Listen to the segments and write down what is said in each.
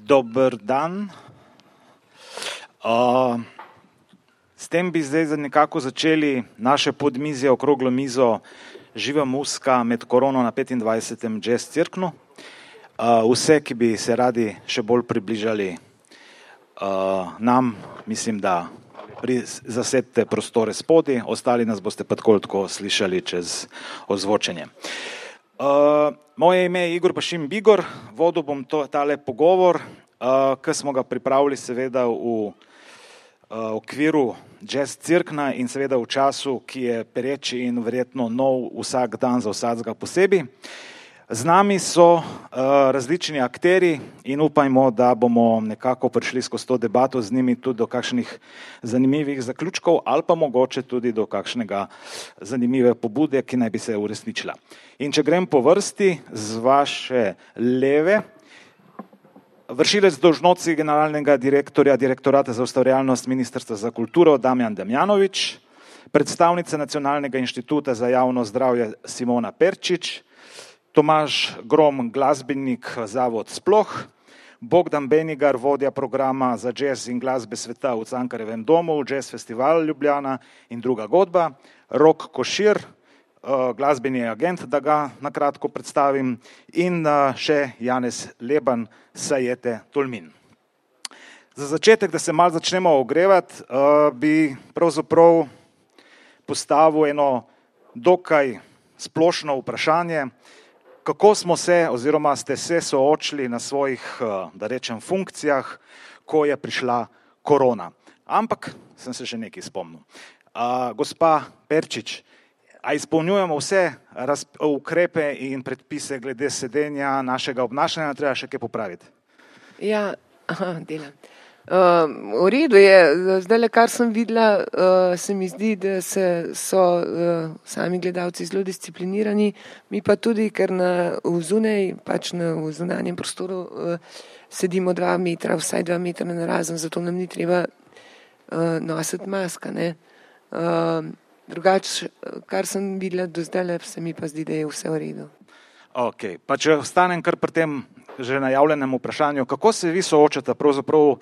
Dober dan. S tem bi zdaj nekako začeli naše podmizje, okroglo mizo Živa muska med korono na 25. Jazz Cirknu. Vse, ki bi se radi še bolj približali nam, mislim, da zasedite prostore spodaj, ostali nas boste pa tako slišali čez ozvočenje. Moje ime je Igor Pašim Bigor, vodil bom tale pogovor, ki smo ga pripravili seveda v okviru Jazz Cirkna in seveda v času, ki je pereči in verjetno nov vsak dan za vsakega posebej. Z nami so različni akteri in upajmo, da bomo nekako prišli skozi to debato z njimi tudi do kakšnih zanimivih zaključkov ali pa mogoče tudi do kakšnega zanimive pobude, ki naj bi se uresničila. In če grem po vrsti z vaše leve, vršilec dolžnosti generalnega direktorja Direktorata za ustvarjalnost Ministrstva za kulturo Damjan Damjanović, predstavnica Nacionalnega inštituta za javno zdravje Simona Perčič, Tomaž Grom, glasbenik Zavod Sploh, Bogdan Benigar, vodja programa za jazz in glasbe sveta v Cankarjevem domu, Jazz Festival Ljubljana in druga godba, Rok Košir, glasbeni agent, da ga nakratko predstavim, in še Janez Leban, Sajete Tolmin. Za začetek, da se malo začnemo ogrevati, bi pravzaprav postavil eno dokaj splošno vprašanje, kako smo se oziroma ste se soočili na svojih, da rečem, funkcijah, ko je prišla korona. Ampak sem se še nekaj spomnil. Gospa Perčič, a izpolnjujemo vse ukrepe in predpise glede sedenja, našega obnašanja, treba še kaj popraviti? Ja, delam. V redu je, zdaj, kar sem videla, se mi zdi, da so sami gledalci zelo disciplinirani, mi pa tudi, ker v zunanjem prostoru sedimo 2 metra, vsaj 2 metra narazen, zato nam ni treba nositi maska, ne. Drugače, kar sem videla do zdaj, se mi pa zdi, da je vse v redu. Ok, pa če ostanem kar pri tem že najavljenem vprašanju, kako se vi soočate pravzaprav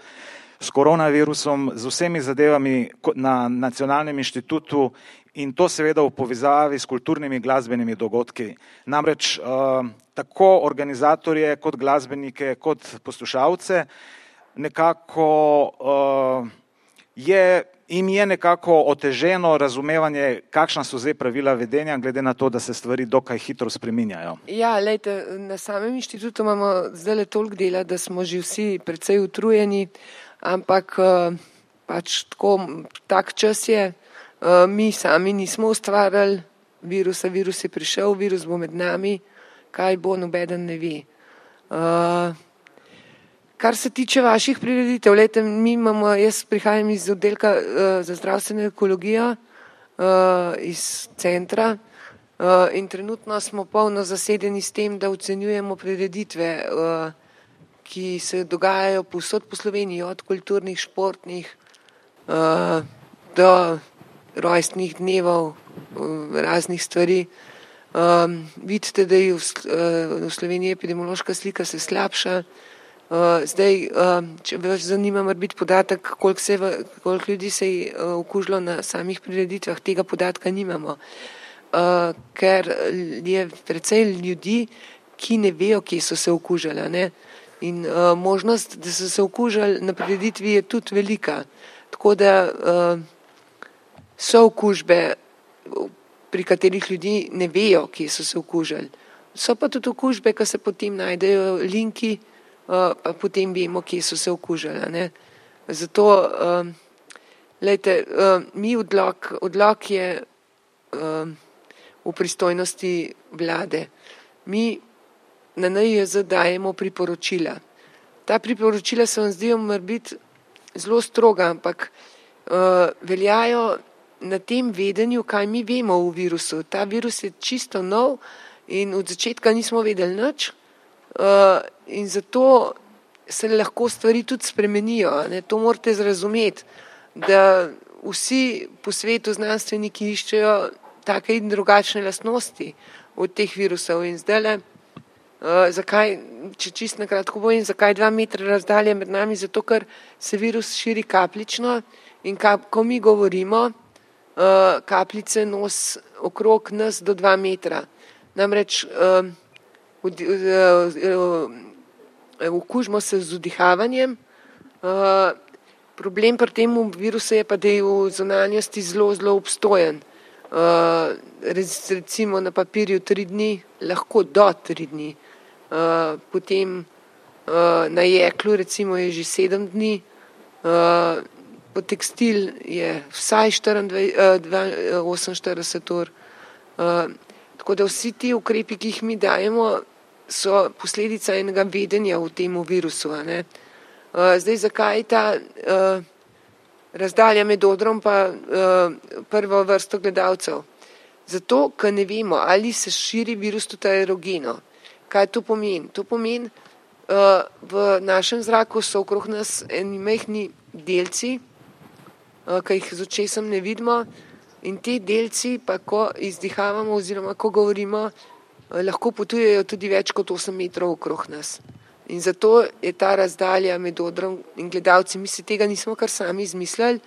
s koronavirusom, z vsemi zadevami na Nacionalnem inštitutu in to seveda v povezavi s kulturnimi glasbenimi dogodki. Namreč tako organizatorje kot glasbenike, kot poslušalce nekako jim je nekako oteženo razumevanje, kakšna so zdaj pravila vedenja, glede na to, da se stvari dokaj hitro spreminjajo. Ja, lejte, na samem inštitutu imamo zdaj toliko dela, da smo že vsi precej utrujeni, ampak pač tak čas je, mi sami nismo ustvarjali virusa, virus je prišel, virus bo med nami, kaj bo, nobeden ne ve. Kar se tiče vaših prireditev, lejte, jaz prihajam iz oddelka za zdravstveno ekologijo, iz centra in trenutno smo polno zasedeni s tem, da ocenjujemo prireditve, ki se dogajajo povsod po Sloveniji, od kulturnih, športnih do rojstnih dnevov, raznih stvari. Vidite, da je v Sloveniji epidemiološka slika se slabša. Zdaj, če vas zanima biti podatek, koliko ljudi se je okužilo na samih prireditvah, tega podatka nimamo, ker je precej ljudi, ki ne vejo, kje so se okužili, ne? In možnost, da so se okužili na prireditvi je tudi velika, tako da so okužbe, pri katerih ljudi ne vejo, kje so se okužili. So pa tudi okužbe, ki se potem najdejo linki, pa potem vemo, kje so se okužili, ne. Zato, lejte, odlok je v pristojnosti vlade. Mi na NIJZ dajemo priporočila. Ta priporočila se vam zdijo morebiti zelo stroga, ampak veljajo na tem vedenju, kaj mi vemo o virusu. Ta virus je čisto nov in od začetka nismo vedeli nič. In zato se lahko stvari tudi spremenijo, ne? To morate razumeti, da vsi po svetu znanstveniki iščejo take in drugačne lastnosti od teh virusov in zdajle Zakaj, če čisto na kratko povem, zakaj 2 metra razdalje med nami? Zato, ker se virus širi kapljično in ko mi govorimo, kapljice nos okrog nas do 2 metra. Namreč okužimo se z vdihavanjem. Problem pri tem virusu je pa, da je v zunanjosti zelo, zelo obstojen. Recimo na papirju 3 dni, lahko do 3 dni. Potem na jeklu recimo je že 7 dni, po tekstil je vsaj 48 ur. Tako da vsi ti ukrepi, ki jih mi dajemo, so posledica enega vedenja v tem virusu. Ne? Zdaj, zakaj ta razdalja med odrom pa prvo vrsto gledalcev? Zato, ker ne vemo, ali se širi virus tudi aerogeno. Kaj to pomeni? To pomeni, v našem zraku so okrog nas eni majhni delci, ki jih z očesom ne vidimo, in ti delci pa, ko izdihavamo oziroma ko govorimo, lahko potujejo tudi več kot 8 metrov okrog nas. In zato je ta razdalja med odrom in gledalci. Mi si tega nismo kar sami izmislili.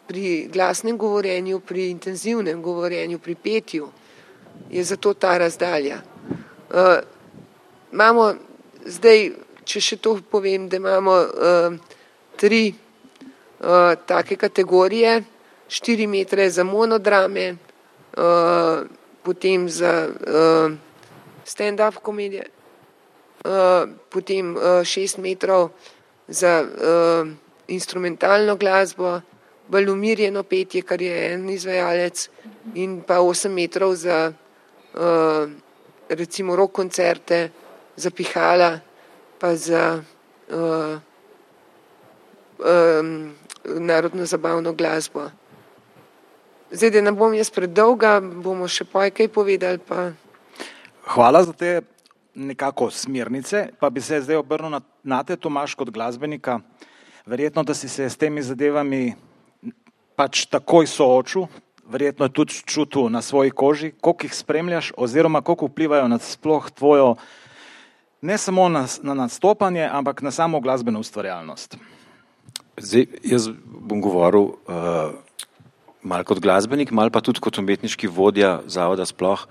Pri glasnem govorjenju, pri intenzivnem govorjenju, pri petju je zato ta razdalja. Imamo zdaj, če še to povem, da imamo 3 take kategorije, 4 metre za monodrame, potem za stand-up komedije, potem 6 metrov za instrumentalno glasbo, bolj umirjeno petje, kar je en izvajalec, in pa 8 metrov za recimo rock koncerte, za pihala, pa za narodno zabavno glasbo. Zdaj, da ne bom jaz predolga, bomo še kaj povedali. Pa... Hvala za te nekako smernice, pa bi se zdaj obrnil na te, Tomaž, kot glasbenika. Verjetno, da si se s temi zadevami pač takoj soočil, verjetno tudi čutil na svoji koži, koliko jih spremljaš oziroma koliko vplivajo na sploh tvojo, ne samo na nastopanje, ampak na samo glasbeno ustvarjalnost. Zdaj, jaz bom govoril malo kot glasbenik, malo pa tudi kot umetniški vodja zavoda sploh,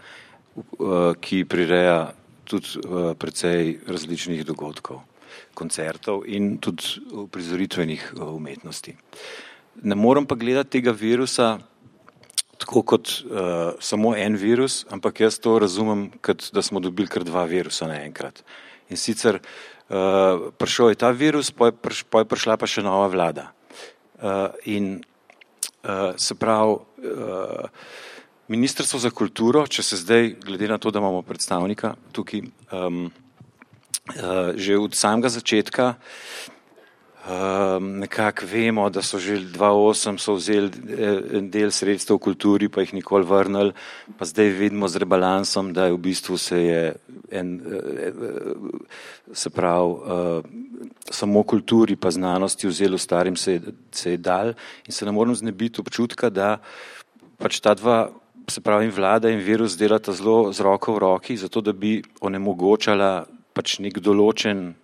ki prireja tudi precej različnih dogodkov, koncertov in tudi uprizoritvenih umetnosti. Ne morem pa gledati tega virusa tako kot samo en virus, ampak jaz to razumem, kot da smo dobili kar 2 virusa naenkrat. In sicer prišel je ta virus, pa je prišla pa še nova vlada. In se pravi, Ministrstvo za kulturo, če se zdaj, glede na to, da imamo predstavnika tukaj, že od samega začetka nekako vemo, da so že 2008 so vzeli del sredstev v kulturi, pa jih nikoli vrnili, pa zdaj vidimo z rebalansom, da je v bistvu se pravi, samo kulturi pa znanosti vzeli, starim se je dal in se ne morem znebiti občutka, da pač ta dva, se pravi vlada in virus, delata zelo z roko v roki, zato da bi onemogočala pač nek določen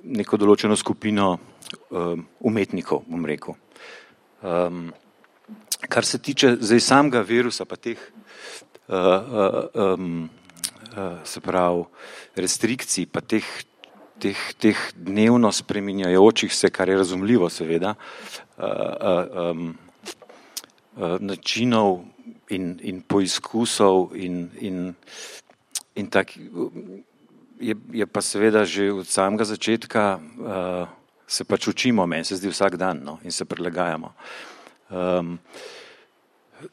neko določeno skupino umetnikov, bom rekel. Kar se tiče zdaj samega virusa, pa teh se pravi restrikcij, pa teh dnevno spreminjajočih se, kar je razumljivo seveda, načinov in poizkusov in tak, je pa seveda že od samega začetka se pač učimo, meni se zdi vsak dan, no, in se prilagajamo.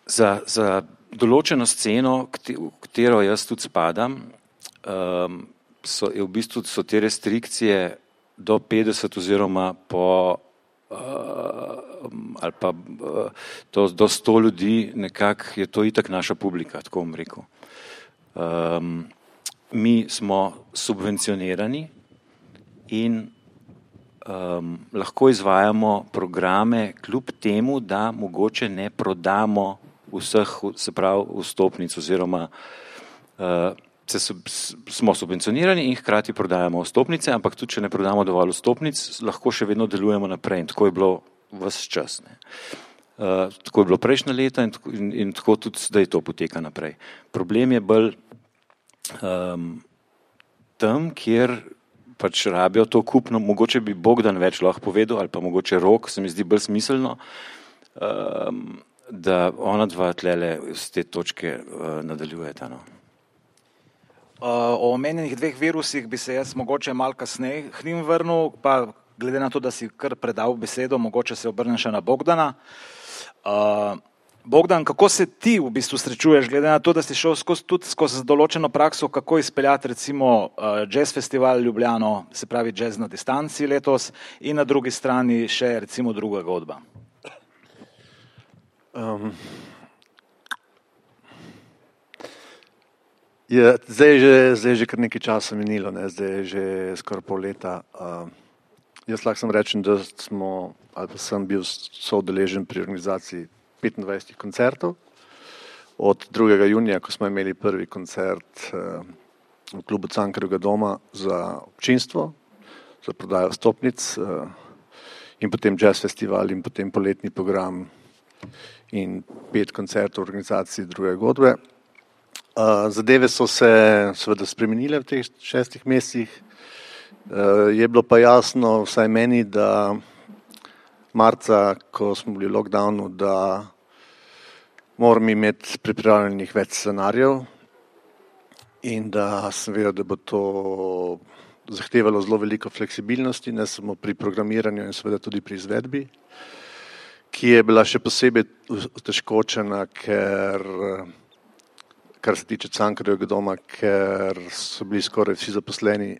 Za določeno sceno, v katero jaz tudi spadam, v bistvu so te restrikcije do 50 oziroma ali pa do 100 ljudi, nekako je to itak naša publika, tako bom rekel. Mi smo subvencionirani in lahko izvajamo programe kljub temu, da mogoče ne prodamo vseh, se pravi, vstopnic oziroma smo subvencionirani in hkrati prodajamo vstopnice, ampak tudi, če ne prodamo dovolj vstopnic, lahko še vedno delujemo naprej in tako je bilo ves čas. Tako je bilo prejšnja leta in tako tudi zdaj to poteka naprej. Problem je bolj tam, kjer pač rabijo to kupno, mogoče bi Bogdan več lahko povedal, ali pa mogoče Rok, se mi zdi bolj smiselno, da ona dva tlele z te točke nadaljujeta. O omenjenih dveh virusih bi se jaz mogoče malo kasneje k njim vrnil, pa glede na to, da si kar predal besedo, mogoče se obrnem še na Bogdana. Bogdan, kako se ti v bistvu srečuješ, glede na to, da si šel skozi določeno prakso, kako izpeljati recimo Jazz Festival Ljubljano, se pravi Jazz na distanci letos in na drugi strani še recimo druga godba? Zdaj že kar nekaj časa minilo, zdaj je že skoraj pol leta. Jaz lahko sem rečem, da sem bil soudeležen pri organizaciji 25 koncertov. Od 2. junija, ko smo imeli prvi koncert v klubu Cankarjevega doma za občinstvo, za prodajo vstopnic in potem jazz festival in potem poletni program in 5 koncertov v organizaciji druge godbe. Zadeve so se seveda spremenile v teh 6 mesecih. Je bilo pa jasno vsaj meni, da marca, ko smo bili v lockdownu, da moram imeti pripravljenih več scenarijev in da sem vedel, da bo to zahtevalo zelo veliko fleksibilnosti, ne samo pri programiranju in seveda tudi pri izvedbi, ki je bila še posebej otežkočena, kar se tiče Cankarjevega doma, ker so bili skoraj vsi zaposleni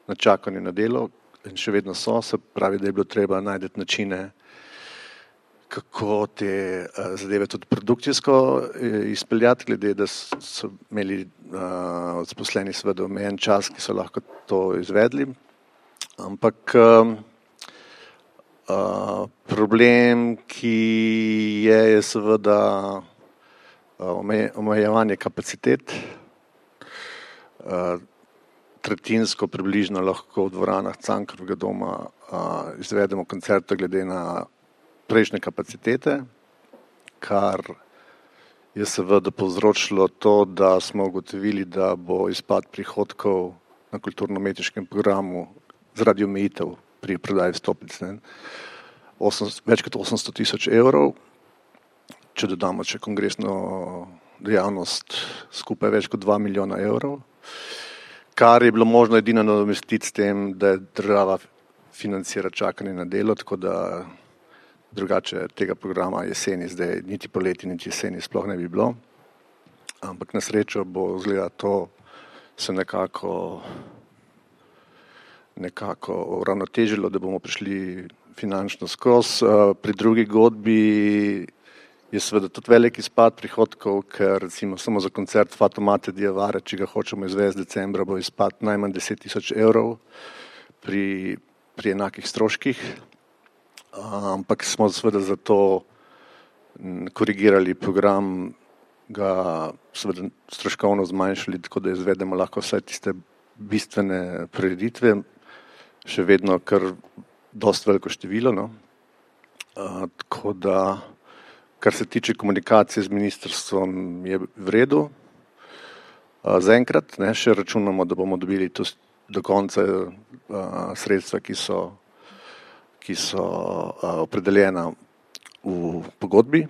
na čakanju na delo in še vedno so, se pravi, da je bilo treba najti načine, kako te zadeve tudi produkcijsko izpeljati, glede da so imeli zaposleni seveda omejen čas, ki so lahko to izvedli. Ampak problem, ki je seveda omejevanje kapacitet. Tretjinsko približno lahko v dvoranah Cankarjevega doma izvedemo koncerte glede na prejšnje kapacitete, kar je seveda povzročilo to, da smo ugotovili, da bo izpad prihodkov na kulturno-umetniškem programu zaradi omejitev pri prodaji vstopnic več kot 800 000 evrov. Če dodamo še kongresno dejavnost, skupaj več kot 2 milijona evrov, kar je bilo možno edino nadomestiti s tem, da je država financira čakanje na delo, tako da drugače tega programa jeseni zdaj niti poleti, niti jeseni sploh ne bi bilo. Ampak na srečo bo izgleda to se nekako uravnotežilo, da bomo prišli finančno skozi. Pri drugi godbi je seveda tudi velik izpad prihodkov, ker recimo samo za koncert Fatomate Diavare, če ga hočemo izvesti decembra, bo izpad najmanj 10 000 evrov pri enakih stroških. Ampak smo seveda zato korigirali program, ga seveda stroškovno zmanjšali, tako da izvedemo lahko vsaj tiste bistvene prireditve, še vedno kar dosti veliko število. Tako da kar se tiče komunikacije z ministrstvom, je v redu. Zaenkrat še računamo, da bomo dobili do konca sredstva, ki so opredeljena v pogodbi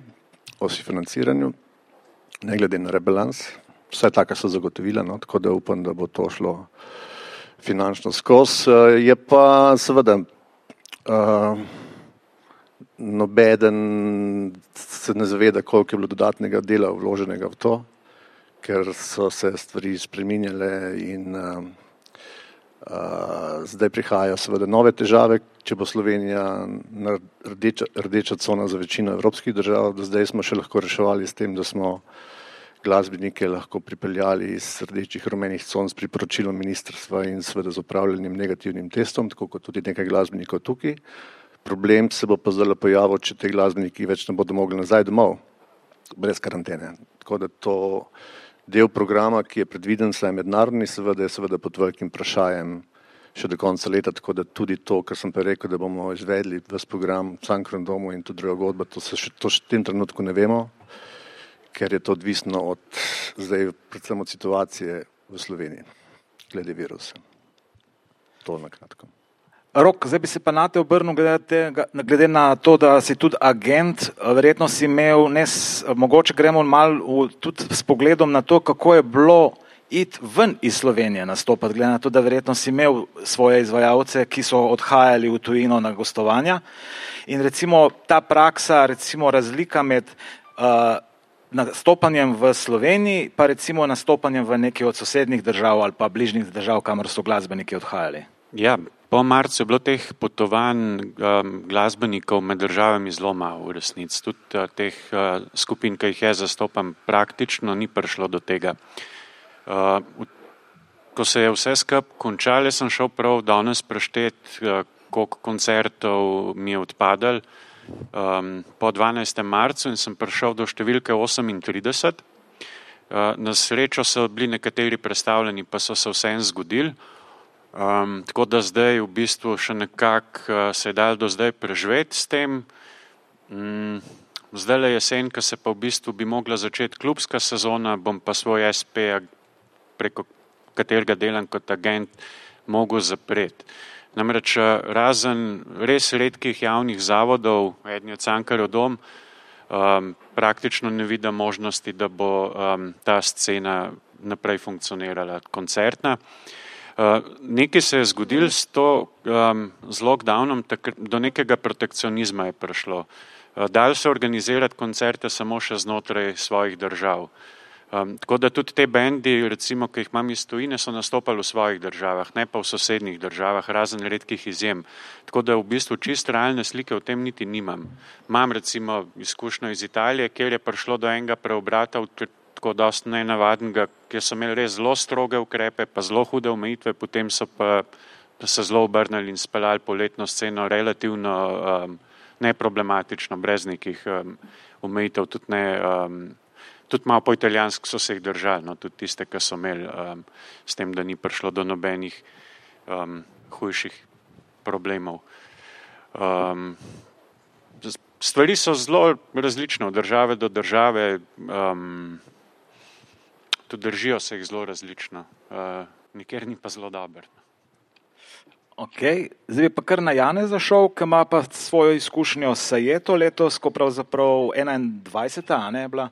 o financiranju, ne glede na rebalans. Vsaj taka so zagotovila, tako da upam, da bo to šlo finančno skozi. Je pa seveda nobeden se ne zaveda, koliko je bilo dodatnega dela vloženega v to, ker so se stvari spreminjale in zdaj prihajajo seveda nove težave, če bo Slovenija rdeča cona za večino evropskih držav. Do zdaj smo še lahko reševali s tem, da smo glasbenike lahko pripeljali iz rdečih rumenih con s priporočilom ministrstva in seveda z opravljenim negativnim testom, tako kot tudi nekaj glasbenikov tukaj. Problem se bo pa zdaj pojavil, če te glasbeniki več ne bodo mogli nazaj domov. brez karantene. Tako da to del programa, ki je predviden, saj mednarodni, je seveda pod velikim vprašajem še do konca leta, tako da tudi to, kar sem pa rekel, da bomo izvedli ves program v Cankarjevem domu in tudi druga godba, to še v tem trenutku ne vemo, ker je to odvisno od zdaj predvsem od situacije v Sloveniji glede virusa. To na kratko. Rok, zdaj bi se pa nate obrnil glede na to, da si tudi agent, verjetno si imel, mogoče gremo malo tudi s pogledom na to, kako je bilo iti ven iz Slovenije nastopati, glede na to, da verjetno si imel svoje izvajalce, ki so odhajali v tujino na gostovanja. In recimo ta praksa, recimo razlika med nastopanjem v Sloveniji, pa recimo nastopanjem v neki od sosednjih držav ali pa bližnjih držav, kamor so glasbeniki odhajali. Ja, po marcu je bilo teh potovanj glasbenikov med državami zelo malo v resnici. Tudi teh skupin, ki jih jaz zastopam, praktično ni prišlo do tega. Ko se je vse skupaj končalo, sem šel prav danes preštet, koliko koncertov mi je odpadalo po 12. marcu in sem prišel do številke 38. Na srečo so bili nekateri predstavljeni, pa so se vseeno zgodili. Tako da zdaj v bistvu še nekako se je dal do zdaj preživeti s tem. Zdaj le jesen, ko se pa v bistvu bi mogla začeti klubska sezona, bom pa svoj SP, preko katerega delam kot agent, mogel zapreti. Namreč razen res redkih javnih zavodov, eden je Cankarjev dom, praktično ne vidim možnosti, da bo ta scena naprej funkcionirala, koncertna. Nekaj se je zgodilo s lockdownom, do nekega protekcionizma je prišlo. Dalo se organizirati koncerte samo še znotraj svojih držav. Tako da tudi te bendi, recimo, ki jih imam iz tujine, so nastopali v svojih državah, ne pa v sosednjih državah, razen redkih izjem. Tako da v bistvu čist realne slike o tem niti nimam. Imam recimo izkušnjo iz Italije, kjer je prišlo do enega preobrata, tako dosti nenavadnega, kjer so imeli res zelo stroge ukrepe, pa zelo hude omejitve, potem so pa se zelo obrnili in speljali poletno sceno relativno neproblematično, brez nekih omejitev, tudi malo po italijansko so se jih držali, no, tudi tiste, ki so imeli s tem, da ni prišlo do nobenih hujših problemov. Stvari so zelo različne od države do države, tudi držijo se jih zelo različno, nikjer ni pa zelo dober. Ok, zdaj bi pa kar na Janeza šel, ki ima pa svojo izkušnjo s Sajeto letos, ko pravzaprav 21. ne je bila,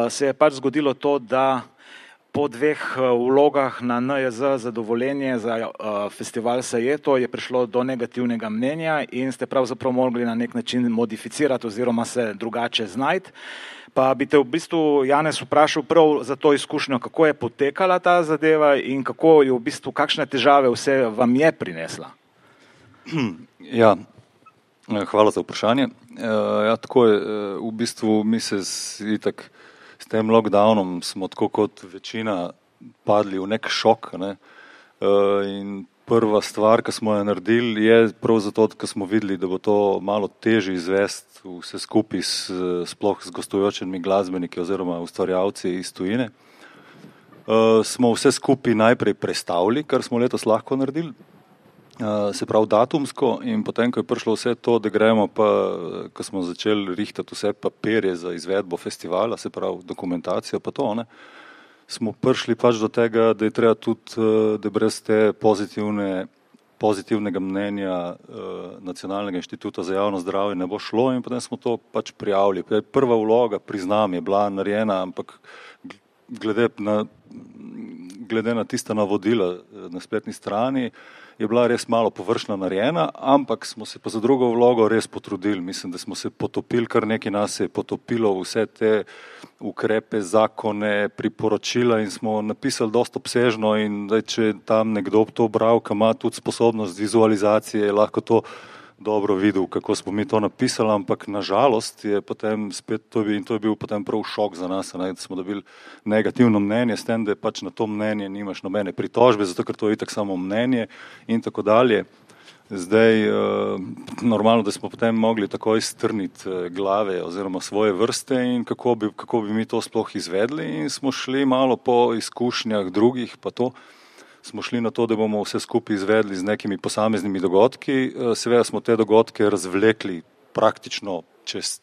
se je pač zgodilo to, da po 2 vlogah na NIJZ za dovoljenje za festival Sajeto je prišlo do negativnega mnenja in ste pravzaprav mogli na nek način modificirati oziroma se drugače znajti. Pa bi te v bistvu, Janez, vprašal prav za to izkušnjo, kako je potekala ta zadeva in kako je v bistvu, kakšne težave vse vam je prinesla? Ja, hvala za vprašanje. Ja, tako je, v bistvu mi se itak s tem lockdownom smo tako kot večina padli v nek šok, ne? In prva stvar, ki smo jo naredili, je prav zato, ker smo videli, da bo to malo težje izvesti vse skupaj sploh z gostujočimi glasbeniki oziroma ustvarjalci iz tujine. Smo vse skupaj najprej prestavili, kar smo letos lahko naredili, se pravi datumsko, in potem, ko je prišlo vse to, da gremo pa, ko smo začeli rihtati vse papirje za izvedbo festivala, se pravi dokumentacijo pa to, ne, smo prišli pač do tega, da je treba tudi, da brez te pozitivnega mnenja Nacionalnega inštituta za javno zdravje ne bo šlo, in potem smo to pač prijavili. Prva vloga, priznam, je bila narejena, ampak glede na tista navodila na spletni strani je bila res malo površno narejena, ampak smo se pa za drugo vlogo res potrudili. Mislim, da smo se potopili, kar nekaj nas je potopilo vse te ukrepe, zakone, priporočila in smo napisali dosti obsežno, in da če tam nekdo to bral, ki ima tudi sposobnost vizualizacije, je lahko to dobro videl, kako smo mi to napisali, ampak nažalost je potem spet to in to je bil potem prav šok za nas, ne, da smo dobili negativno mnenje, s tem, da pač na to mnenje nimaš nobene pritožbe, zato ker to je itak samo mnenje in tako dalje. Zdaj, normalno, da smo potem mogli takoj strniti glave oziroma svoje vrste in kako bi mi to sploh izvedli in smo šli malo po izkušnjah drugih, pa to smo šli na to, da bomo vse skupaj izvedli z nekimi posameznimi dogodki. Seveda smo te dogodke razvlekli praktično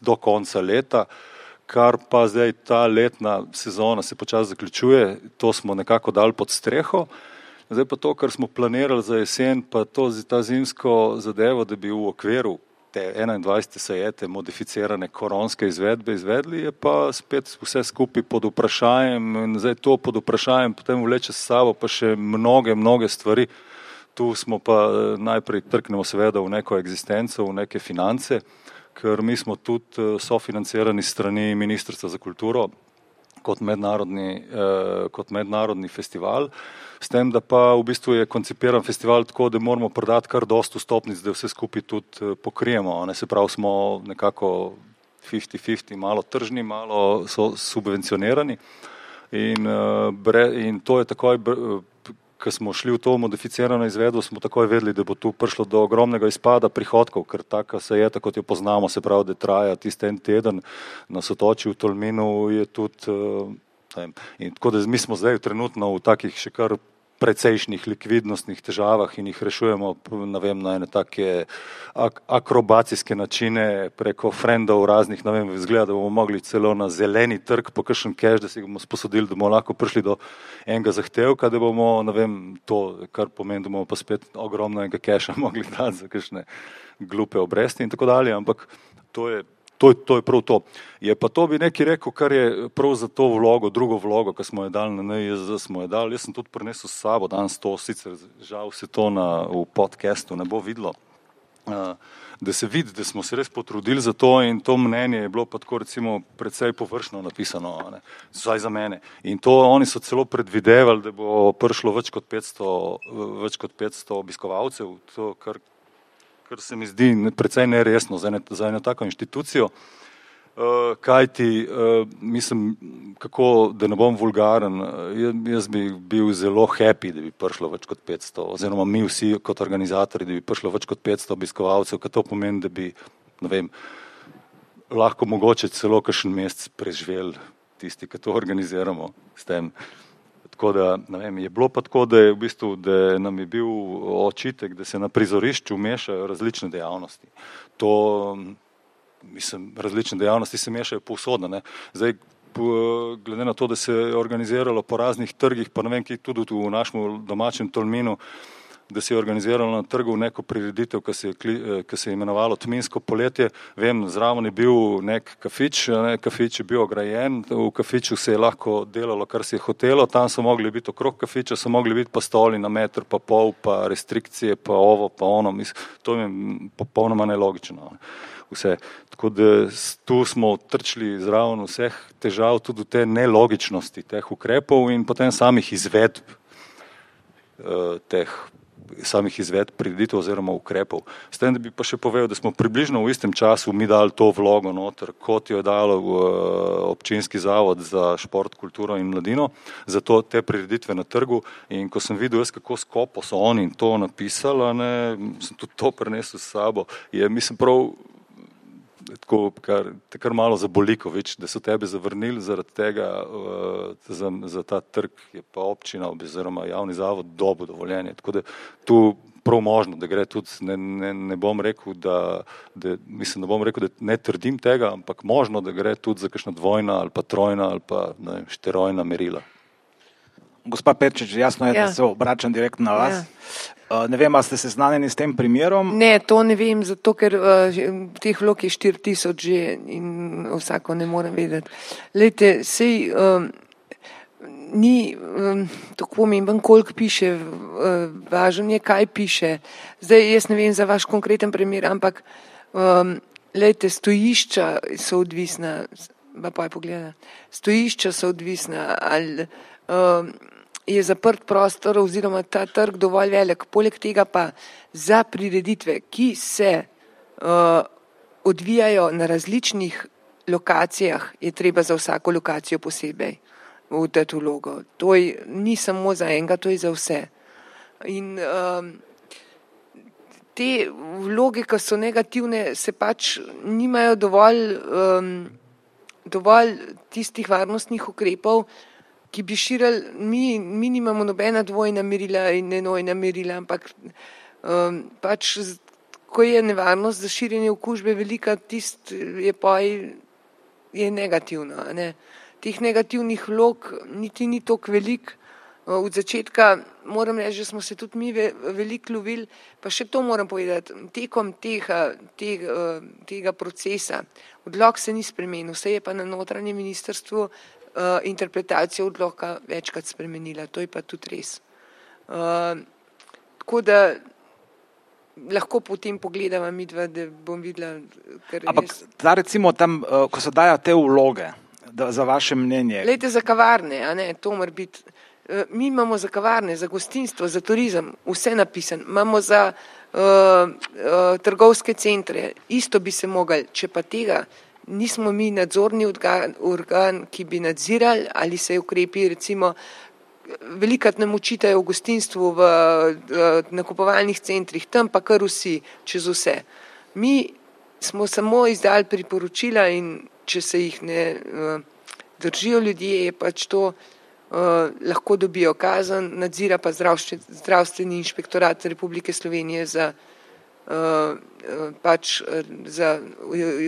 do konca leta, kar pa zdaj ta letna sezona se počasi zaključuje, to smo nekako dali pod streho. Zdaj pa to, kar smo planirali za jesen, pa ta zimsko zadevo, da bi v okviru te 21. sajete modificirane koronske izvedbe izvedli, je pa spet vse skupaj pod vprašanjem in zdaj to pod vprašanjem potem vleče s sabo pa še mnoge stvari. Tu smo pa najprej trknemo seveda v neko eksistenco, v neke finance, ker mi smo tudi sofinancirani strani Ministrstva za kulturo kot mednarodni festival, s tem, da pa v bistvu je koncipiran festival tako, da moramo prodati kar dosti vstopnic, da vse skupaj tudi pokrijemo. Se pravi, smo nekako 50-50, malo tržni, malo so subvencionirani in to je takoj, ko smo šli v to modificirano izvedbo, smo takoj vedeli, da bo tu prišlo do ogromnega izpada prihodkov, ker taka sajeta, kot jo poznamo, se pravi, da traja tisti en teden na Sotočju v Tolminu, je tudi in tako da mi smo zdaj trenutno v takih še kar precejšnjih likvidnostnih težavah in jih rešujemo na ene take akrobacijske načine preko frendov raznih, izgleda, da bomo mogli celo na zeleni trg po kakšen cash, da si bomo sposodili, da bomo lahko prišli do enega zahtevka, da bomo, to, kar pomeni, da bomo pa spet ogromno enega casha mogli dati za kakšne glupe obresti in tako dalje, ampak to je prav to. Je pa to bi nekaj rekel, kar je prav za to vlogo, drugo vlogo, ki smo jo dali na NIJZ, smo jo dali. Jaz sem tudi prinesel s sabo danes to, sicer žal se to v podcastu ne bo videlo, da se vidi, da smo se res potrudili za to in to mnenje je bilo pa tako recimo precej površno napisano, vsaj za mene. In to oni so celo predvidevali, da bo prišlo več kot 500 obiskovalcev, to kar se mi zdi precej neresno za eno tako inštitucijo, kajti, mislim, kako, da ne bom vulgaren, jaz bi bil zelo happy, da bi prišlo več kot 500, oziroma mi vsi kot organizatorji, da bi prišlo več kot 500 obiskovalcev, kar to pomeni, da bi, lahko mogoče celo kakšen mesec preživeli tisti, ki to organiziramo s tem. Tako da, je bilo pa tako, da je v bistvu, da nam je bil očitek, da se na prizorišču mešajo različne dejavnosti. Različne dejavnosti se mešajo povsod, Zdaj, glede na to, da se je organiziralo po raznih trgih, pa tudi v našem domačem Tolminu, da se je organiziralo na trgu neko prireditev, ki se je imenovalo Tminsko poletje. Vem, zraven je bil nek kafič, kafič je bil ograjen, v kafiču se je lahko delalo, kar se je hotelo, tam so mogli biti okrog kafiča, so mogli biti pa stoli na meter, pa pol, pa restrikcije, pa ovo, pa ono. To je popolnoma nelogično. Vse. Tako da tu smo trčili zraven vseh težav, tudi te nelogičnosti teh ukrepov in potem samih izvedb prireditev oziroma ukrepov. S tem, da bi pa še povedal, da smo približno v istem času mi dali to vlogo noter, kot jo je dalo občinski zavod za šport, kulturo in mladino, za te prireditve na trgu in ko sem videl kako skopo so oni to napisali, sem tudi to prinesel s sabo, mislim prav tako, kar malo zaboliko, da so tebe zavrnili zaradi tega, za ta trg je pa občina oziroma javni zavod dobil dovoljenje. Tako da tu prav možno, da gre tudi, ne bom rekel, da ne trdim tega, ampak možno, da gre tudi za kakšna dvojna ali pa trojna ali pa štirojna merila. Gospa Perčič, jasno je, da se obračam direktno na vas. Ne vem, ali ste seznanjeni s tem primerom? Ne, to ne vem, zato ker teh vlog je 4000 že in vsako ne morem vedeti. Lejte, sej ni tako pomemben, koliko piše, važno je, kaj piše. Zdaj, jaz ne vem za vaš konkreten primer, ampak lejte, stojišča so odvisna, stojišča so odvisna, ali je zaprt prostor oziroma ta trg dovolj velik. Poleg tega pa za prireditve, ki se odvijajo na različnih lokacijah, je treba za vsako lokacijo posebej v dati vlogo. To ni samo za enega, to je za vse. In te vloge, ki so negativne, se pač nimajo dovolj tistih varnostnih ukrepov, ki bi širili, mi nimamo nobena dvojna merila in enojna merila, ampak pač, ko je nevarnost za širjenje okužbe velika, tist je negativno. Ne? Teh negativnih vlog niti ni toliko velik. Od začetka moram reči, že smo se tudi mi veliko lovili, pa še to moram povedati, tekom tega procesa odlok se ni spremenil, se je pa na notranjem ministrstvu interpretacija odloka večkrat spremenila, to je pa tudi res. Tako da lahko potem pogledava midva, da bom videla, ker ampak da recimo tam, ko se dajo te vloge, za vaše mnenje. Glejte, za kavarne, a ne, to mora biti. Mi imamo za kavarne, za gostinstvo, za turizem, vse napisano. Imamo za trgovske centre, isto bi se mogli, če pa tega nismo mi nadzorni organ, ki bi nadzirali, ali se ukrepi, recimo, velikrat nam učitajo v gostinstvu, v nakupovalnih centrih, tam pa kar vsi, čez vse. Mi smo samo izdali priporočila in če se jih ne držijo ljudje, je pač to lahko dobijo kazen, nadzira pa zdravstveni inšpektorat Republike Slovenije za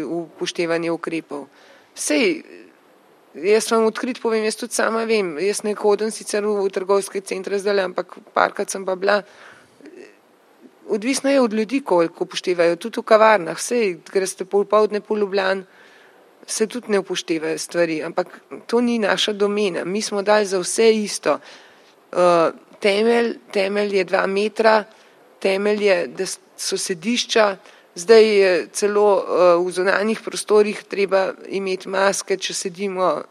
upoštevanje ukrepov. Sej, jaz vam odkrit povem, jaz tudi sama vem, jaz ne hodim sicer v trgovske centre zdaj, ampak parkrat sem pa bila. Odvisno je od ljudi, koliko upoštevajo, tudi v kavarnah, sej, greste popoldne po Ljubljani, se tudi ne upoštevajo stvari, ampak to ni naša domena. Mi smo dali za vse isto. Temelj je 2 metra, temelj je, da so sedišča, zdaj je celo v zunanjih prostorih treba imeti maske, če sedimo,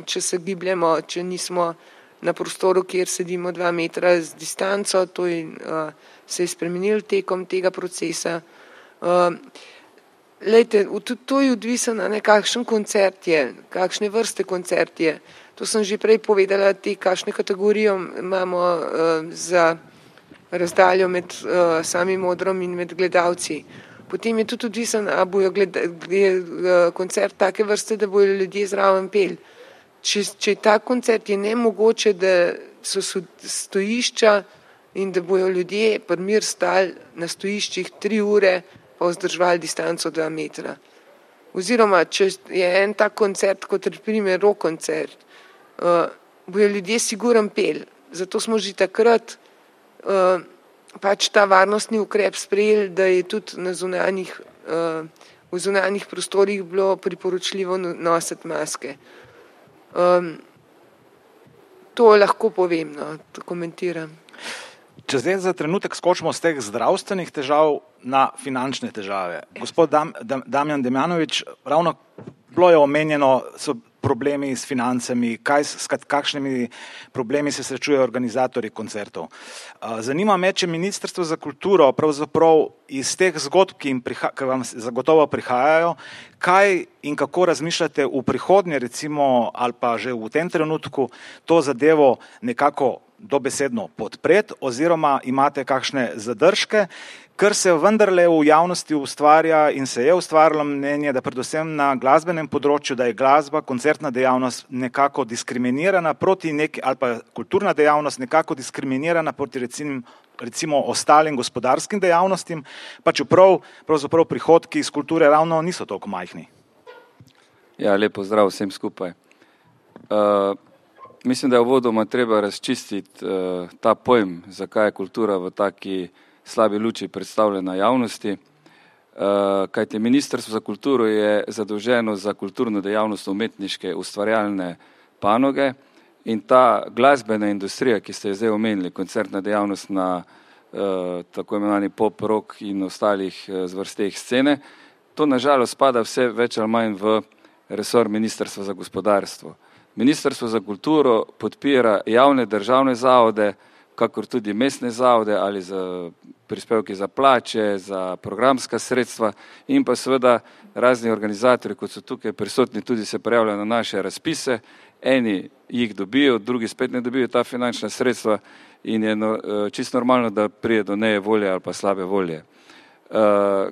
če se gibljemo, če nismo na prostoru, kjer sedimo 2 metra z distanco, to se je spremenilo tekom tega procesa. Lejte, to je odvisno, kakšen koncert je, kakšne vrste koncert je. To sem že prej povedala, kakšne kategorijo imamo za razdaljo med samim odrom in med gledalci. Potem je tudi odvisno, a bojo koncert take vrste, da bojo ljudje zraven peli. Če je ta koncert, je nemogoče, da so stojišča in da bojo ljudje primir stali na stojiščih 3 ure, pa vzdrževali distanco 2 metra. Oziroma, če je en tak koncert, kot primer rock koncert, bojo ljudje sigurno peli. Zato smo že takrat pač ta varnostni ukrep sprejeli, da je tudi v zunanjih prostorih bilo priporočljivo nositi maske. To lahko povem, to komentiram. Če zdaj za trenutek skočimo z teh zdravstvenih težav na finančne težave. Gospod Damjan Damjanovič, ravno bilo je omenjeno, so problemi s financami, kakšnimi problemi se srečujejo organizatorji koncertov. Zanima me, če Ministrstvo za kulturo pravzaprav iz teh zgodb, ki vam zagotovo prihajajo, kaj in kako razmišljate v prihodnje, recimo, ali pa že v tem trenutku, to zadevo nekako dobesedno podpreti, oziroma imate kakšne zadržke, ker se vendarle v javnosti ustvarja in se je ustvarjalo mnenje, da predvsem na glasbenem področju, da je glasba, koncertna dejavnost nekako diskriminirana proti ali pa kulturna dejavnost nekako diskriminirana proti recimo ostalim gospodarskim dejavnostim, pa čeprav pravzaprav prihodki iz kulture ravno niso toliko majhni. Ja, lepo zdrav vsem skupaj. Mislim, da je uvodoma treba razčistiti ta pojem, zakaj je kultura v taki slabi luči predstavljena javnosti, kajti Ministrstvo za kulturo je zadolženo za kulturno dejavnost umetniške ustvarjalne panoge in ta glasbena industrija, ki ste jo zdaj omenili, koncertna dejavnost na tako imenovani pop, rock in ostalih zvrsteh scene, to nažalost spada vse več ali manj v resor Ministrstva za gospodarstvo. Ministrstvo za kulturo podpira javne državne zavode, kakor tudi mestne zavode ali za prispevke za plače, za programska sredstva in pa seveda razni organizatorji, kot so tukaj prisotni, tudi se prijavljajo na naše razpise eni jih dobijo, drugi spet ne dobijo ta finančna sredstva in je čisto normalno, da prije do neje volje ali pa slabe volje.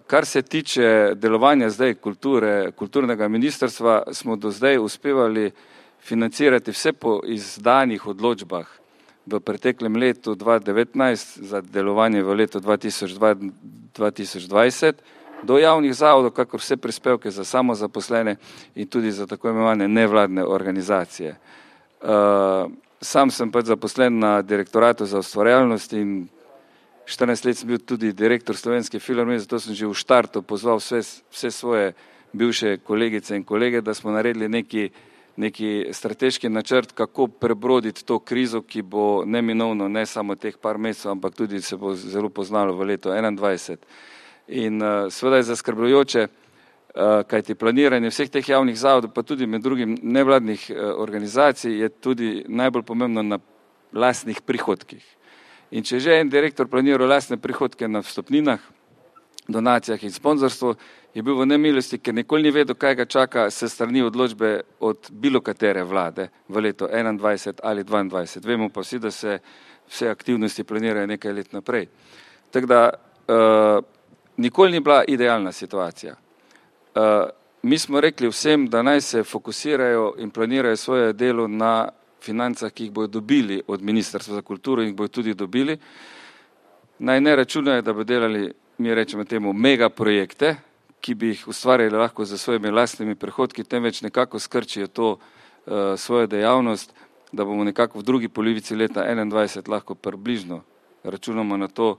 Kar se tiče delovanja zdaj kulturnega ministrstva, smo do zdaj uspevali financirati vse po izdanih odločbah v preteklem letu 2019 za delovanje v letu 2020 do javnih zavodov, kakor vse prispevke za samozaposlene in tudi za tako imenovane nevladne organizacije. Sam sem pač zaposlen na direktoratu za ustvarjalnost in 14 let sem bil tudi direktor Slovenske filharmonije, zato sem že v štartu pozval vse svoje bivše kolegice in kolege, da smo naredili neki strateški načrt, kako prebroditi to krizo, ki bo neminovno ne samo teh par mesecev, ampak tudi se bo zelo poznalo v letu 2021. In seveda je zaskrbljujoče, kajti planiranje vseh teh javnih zavodov, pa tudi med drugim nevladnih organizacij, je tudi najbolj pomembno na lastnih prihodkih. In če že en direktor planiral lastne prihodke na vstopninah, donacijah in sponzorstvu, je bil v nemilosti, ker nikoli ni vedel, kaj ga čaka se strani odločbe od bilo katere vlade v letu 2021 ali 2022. Vemo pa vsi, da se vse aktivnosti planirajo nekaj let naprej. Tako da nikoli ni bila idealna situacija. Mi smo rekli vsem, da naj se fokusirajo in planirajo svoje delo na financah, ki jih bodo dobili od Ministrstva za kulturo in jih bodo tudi dobili. Naj ne računajo, da bodo delali, mi rečemo temu, mega projekte, ki bi jih ustvarjali lahko za svojimi lastnimi prihodki, temveč nekako skrčijo to svojo dejavnost, da bomo nekako v drugi polovici leta 2021 lahko približno računamo na to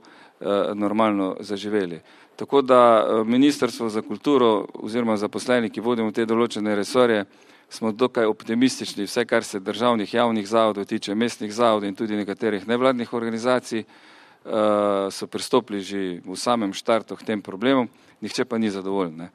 normalno zaživeli. Tako da Ministrstvo za kulturo oziroma zaposleni, ki vodimo te določene resorje, smo dokaj optimistični, vse kar se državnih javnih zavodov tiče, mestnih zavodov in tudi nekaterih nevladnih organizacij, so pristopili že v samem štartu k tem problemom, nihče pa ni zadovoljen. Ne.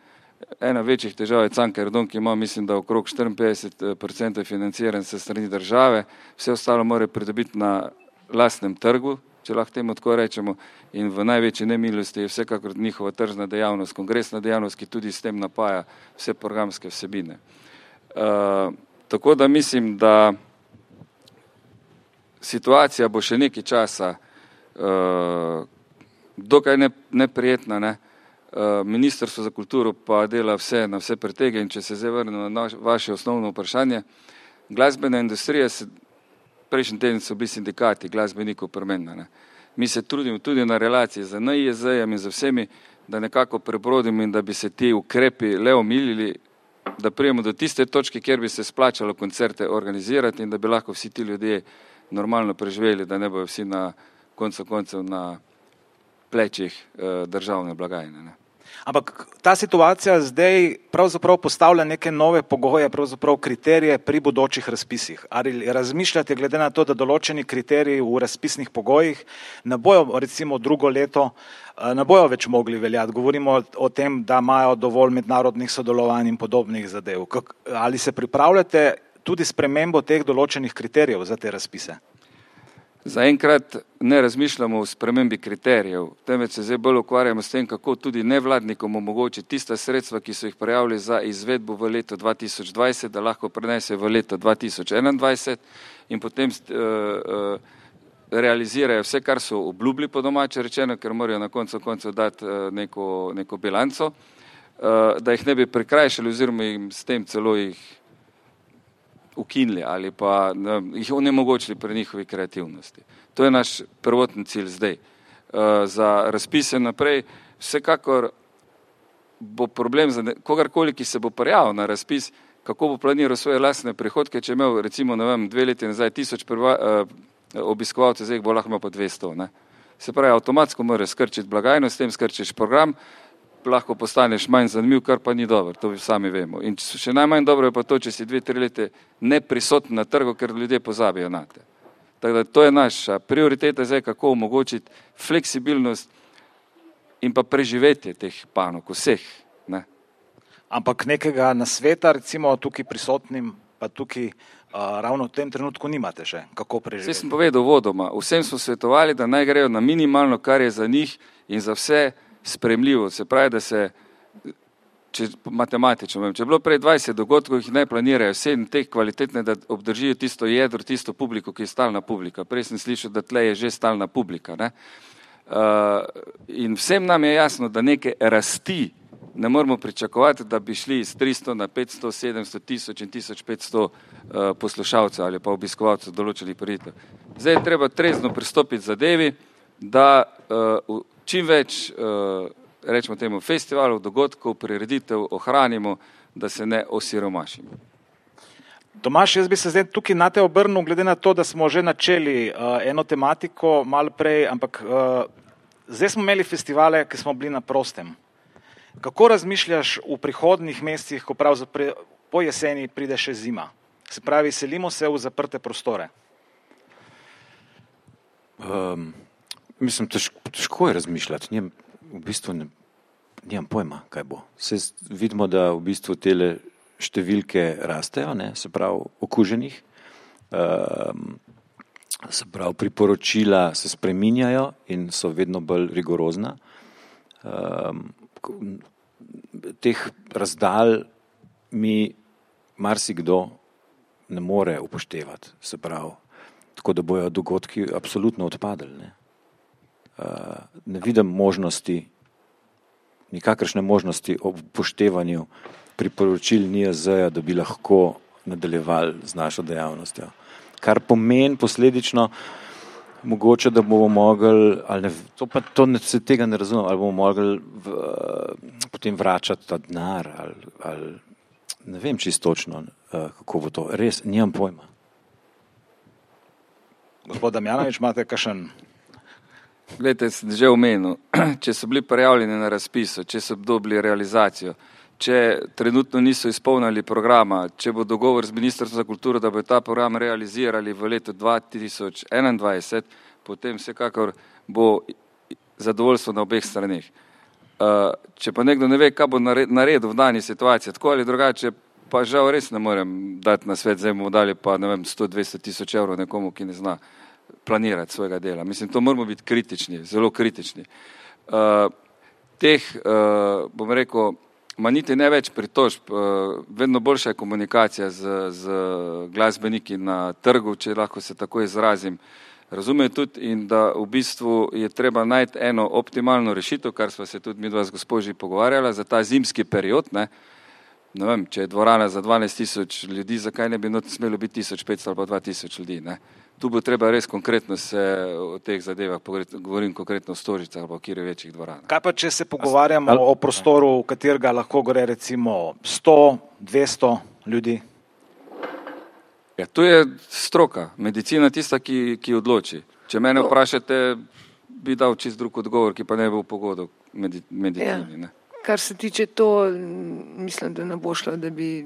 Ena večjih težav je Cankarjev dom, ki ima, mislim, da okrog 54% financiran se strani države, vse ostalo mora pridobiti na lastnem trgu, če lahko temu tako rečemo, in v največji nemilosti je vsekakor njihova tržna dejavnost, kongresna dejavnost, ki tudi s tem napaja vse programske vsebine. Tako da mislim, da situacija bo še nekaj časa dokaj neprijetna, ne? Ministrstvo za kulturo pa dela vse na vse pretege in če se zdaj vrnem na vaše osnovno vprašanje, glasbena industrija prejšnji teden so bili sindikati glasbenikov premenjena. Ne? Mi se trudimo tudi na relaciji z NIJZ-jem in z vsemi, da nekako prebrodimo in da bi se ti ukrepi le omilili, da prijemo do tiste točke, kjer bi se splačalo koncerte organizirati in da bi lahko vsi ti ljudje normalno preživeli, da ne bojo vsi na koncev na plečih državne blagajne. Ne. Ampak ta situacija zdaj pravzaprav postavlja neke nove pogoje, pravzaprav kriterije pri bodočih razpisih. Ali razmišljate glede na to, da določeni kriteriji v razpisnih pogojih ne bojo recimo drugo leto, ne bojo več mogli veljati? Govorimo o tem, da imajo dovolj mednarodnih sodelovanj in podobnih zadev. Ali se pripravljate tudi spremembo teh določenih kriterijev za te razpise? Zaenkrat ne razmišljamo o spremembi kriterijev, temveč se zdaj bolj ukvarjamo s tem, kako tudi nevladnikom omogočiti tista sredstva, ki so jih prijavili za izvedbo v letu 2020, da lahko prenesejo v leto 2021 in potem realizirajo vse, kar so obljubili po domače rečeno, ker morajo na koncu dati neko bilanco, da jih ne bi prikrajšali oziroma jim s tem celo jih ukinili ali pa jih onemogočili pri njihovi kreativnosti. To je naš prvotni cilj zdaj. Za razpise naprej vsekakor bo problem za kogarkoli, ki se bo prijavil na razpis, kako bo planiral svoje lastne prihodke, če je imel recimo 2 leti nazaj 1000 obiskovalcev, zdaj bo lahko imel pa 200. Ne? Se pravi, avtomatsko moraš skrčiti blagajno, s tem skrčiš program, lahko postaneš manj zanimiv, kar pa ni dobro, to sami vemo. In še najmanj dobro je pa to, če si 2-3 leta neprisoten na trgu, ker ljudje pozabijo na te. Tako da to je naša prioriteta zdaj, kako omogočiti fleksibilnost in pa preživetje teh panog, vseh. Ne? Ampak nekega nasveta, recimo tukaj prisotnim, pa tukaj ravno v tem trenutku nimate še, kako preživeti? Vse sem povedal vodoma, vsem smo svetovali, da naj grejo na minimalno, kar je za njih in za vse spremljivo, se pravi, da se če matematično vem, če je bilo prej 20 dogodkov, jih ne planirajo 7 teh kvalitetne, da obdržijo tisto jedro, tisto publiko, ki je stalna publika. Prej sem slišal, da tle je že stalna publika. Ne? In vsem nam je jasno, da neke rasti ne moramo pričakovati, da bi šli iz 300 na 500, 700, 1000 in 1500 poslušalcev ali pa obiskovalcev določenih prireditev. Zdaj je treba trezno pristopiti zadevi, da čim več, rečemo temu, festivalov, dogodkov, prireditev ohranimo, da se ne osiromašimo. Tomaž, jaz bi se zdaj tukaj na te obrnil, glede na to, da smo že načeli eno tematiko malo prej, ampak zdaj smo imeli festivale, ki smo bili na prostem. Kako razmišljaš v prihodnjih mesecih, ko pravzaprav po jeseni pride še zima? Se pravi, selimo se v zaprte prostore. Mislim, težko je razmišljati. V bistvu nimam pojma, kaj bo. Vidimo, da v bistvu tele številke rastejo, ne, se pravi okuženih, se pravi priporočila se spreminjajo in so vedno bolj rigorozna. Teh razdalj mi marsikdo ne more upoštevati, se pravi, tako da bojo dogodki absolutno odpadli. Ne vidim možnosti, nikakršne možnosti ob upoštevanju priporočil NIJZ-ja, da bi lahko nadaljevali z našo dejavnostjo. Kar pomeni posledično mogoče, da bomo mogli, ali ne, se tega ne razumem, ali bomo mogli potem vračati ta denar, ali ne vem čisto točno, kako bo to. Res, nimam pojma. Gospod Damjanović, imate kakšen? Glejte, sem že omenil, če so bili prijavljeni na razpisu, če so dobili realizacijo, če trenutno niso izpolnili programa, če bo dogovor z Ministrstvom za kulturo, da bo ta program realizirali v letu 2021, potem vsekakor bo zadovoljstvo na obeh straneh. Če pa nekdo ne ve, kaj bo naredil v dani situaciji, tako ali drugače, pa žal res ne morem dati na svet, zdaj bomo dali pa 100-200 tisoč evrov nekomu, ki ne zna planirati svojega dela. Mislim, to moramo biti kritični, zelo kritični. Bom rekel, ma niti ne več pritožb, vedno boljša je komunikacija z glasbeniki na trgu, če lahko se tako izrazim. Razumejo tudi in da v bistvu je treba najti eno optimalno rešitev, kar sva se tudi midva z gospožji pogovarjala za ta zimski period. Ne vem, če je dvorana za 12 000 ljudi, zakaj ne bi smelo biti 1500 ali pa 2000 ljudi. Ne? Tu bo treba res konkretno se o teh zadevah, govorim konkretno o Stožicah ali pa v kjer večjih dvoranah. Kaj pa, če se pogovarjamo o prostoru, v katerega lahko gre recimo 100, 200 ljudi? Ja, tu je stroka, medicina tista, ki odloči. Če mene vprašate, bi dal čist drug odgovor, ki pa ne bo v pogodu medicini. Ne? Kar se tiče to, mislim, da ne bo šlo, da bi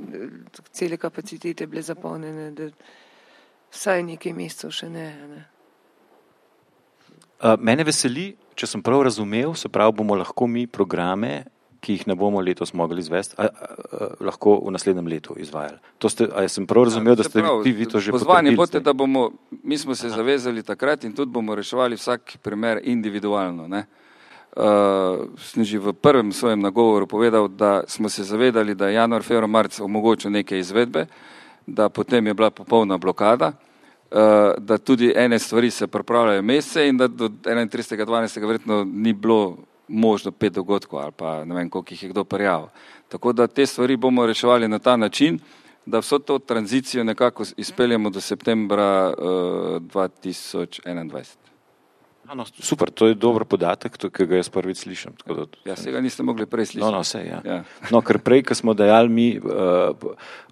cele kapacitete bile zapolnjene, da vsaj nekaj mesecev še ne. Mene veseli, če sem prav razumel, se pravi, bomo lahko mi programe, ki jih ne bomo letos mogli izvesti, lahko v naslednjem letu izvajali. Sem prav razumel, da ste vi to že potrdili? Pozvani boste, da mi smo se zavezali takrat in tudi bomo reševali vsak primer individualno. Sem že v prvem svojem nagovoru povedal, da smo se zavedali, da je januar, februar, marec omogočil neke izvedbe, da potem je bila popolna blokada, da tudi ene stvari se pripravljajo mesece in da do 31.12. verjetno ni bilo možno 5 dogodkov ali pa ne vem, koliko jih je kdo prijavil. Tako da te stvari bomo reševali na ta način, da vso to tranzicijo nekako izpeljemo do septembra 2021. No, super, to je dober podatek, ki ga jaz prvič slišim. Ja, se ga niste mogli prej slišati. Ja. No, ker prej, ko smo dajali mi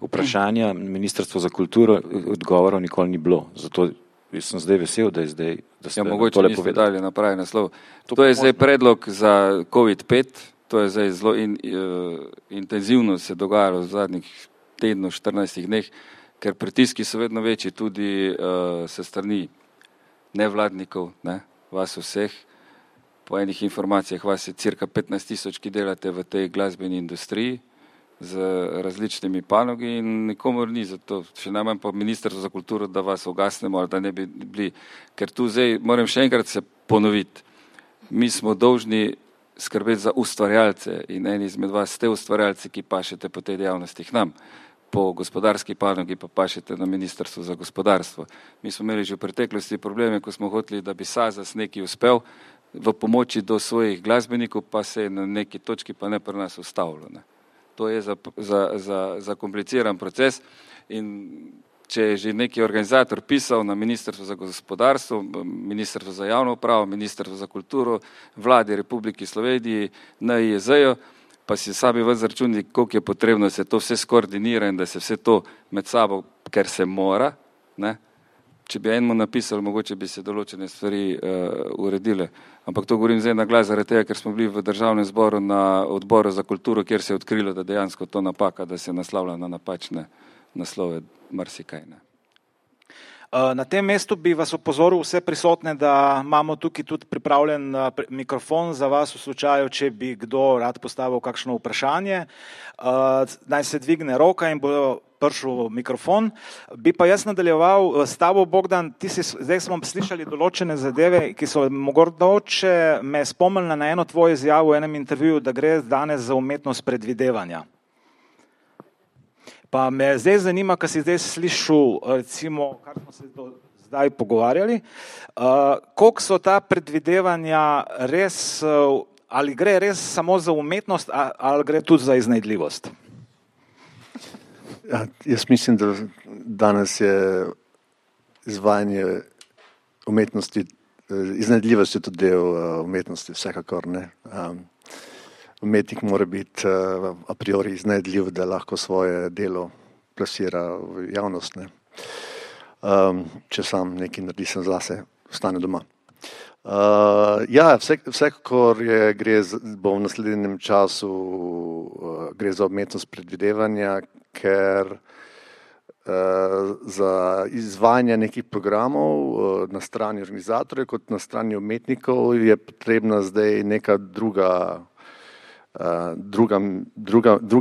vprašanja Ministrstvo za kulturo, odgovorov nikoli ni bilo. Zato sem zdaj vesel, da je zdaj, da ste mogoče niste dali na pravi naslov. To je zdaj predlog za COVID-5, to je zdaj zelo intenzivno se dogajalo v zadnjih tednu, 14 dneh, ker pritiski so vedno večji tudi se strani nevladnikov, vas vseh. Po enih informacijah vas je cirka 15 000, ki delate v tej glasbeni industriji z različnimi panogi in nikomor ni za to, še najmanj pa Ministrstvo za kulturo, da vas ugasnemo ali da ne bi bili. Ker tu zdaj moram še enkrat se ponoviti. Mi smo dolžni skrbeti za ustvarjalce in eni izmed vas ste ustvarjalci, ki pašete po tej dejavnosti k nam. Po gospodarski panogi pa pašete na Ministrstvu za gospodarstvo. Mi smo imeli že v preteklosti probleme, ko smo hoteli, da bi SAZAS nekaj uspel v pomoči do svojih glasbenikov, pa se je na neki točki pa ne pri nas ustavilo. Ne. To je za kompliciran proces in če je že neki organizator pisal na Ministrstvo za gospodarstvo, Ministrstvo za javno upravo, Ministrstvo za kulturo, Vladi Republike Slovenije, NIJZ-ju, pa si sami vas zračuni, koliko je potrebno, da se to vse skoordinira in da se vse to med sabo, ker se mora, ne? Če bi enemu napisali, mogoče bi se določene stvari uredile. Ampak to govorim zdaj na glas zaradi tega, ker smo bili v Državnem zboru na odboru za kulturo, kjer se je odkrilo, da dejansko to napaka, da se naslavlja na napačne naslove marsikaj. Ne? Na tem mestu bi vas opozoril vse prisotne, da imamo tukaj tudi pripravljen mikrofon za vas v slučaju, če bi kdo rad postavil kakšno vprašanje. Naj se dvigne roka in bo prišel mikrofon. Bi pa jaz nadaljeval s tabo, Bogdan, zdaj smo slišali določene zadeve, ki so mogoče me spomnili na eno tvojo izjavo v enem intervjuju, da gre danes za umetnost predvidevanja. Pa me zdaj zanima, kar si zdaj slišal, recimo, kar smo se zdaj pogovarjali, koliko so ta predvidevanja res, ali gre res samo za umetnost, ali gre tudi za iznajdljivost? Ja, jaz mislim, da danes je izvajanje umetnosti, iznajdljivost je tudi del umetnosti, vsekakor ne. Umetnik mora biti a priori iznajdljiv, da lahko svoje delo plasira v javnost. Ne. Če sam nekaj naredi, sem zase, ostane doma. Ja, vsekakor bo v naslednjem času gre za umetnost predvidevanja, ker za izvajanje nekih programov na strani organizatorjev kot na strani umetnikov je potrebna zdaj neka druga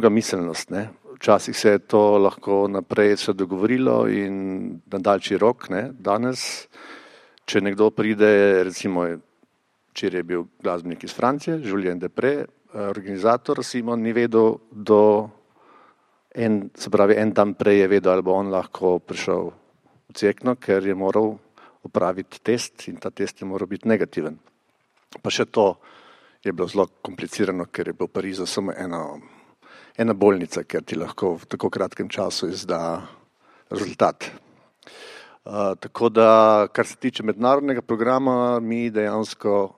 miselnost. Ne. Včasih se je to lahko naprej se dogovorilo in na daljši rok, ne. Danes, če nekdo pride, recimo, včeraj je bil glasbenik iz Francije, Julien Depré, organizator, Simon ni vedel en dan prej je vedel, ali bo on lahko prišel v Cerkno, ker je moral opraviti test in ta test je moral biti negativen. Pa še to je bilo zelo komplicirano, ker je bilo v Parizu samo ena bolnica, ker ti lahko v tako kratkem času izda rezultat. Tako da, kar se tiče mednarodnega programa, mi dejansko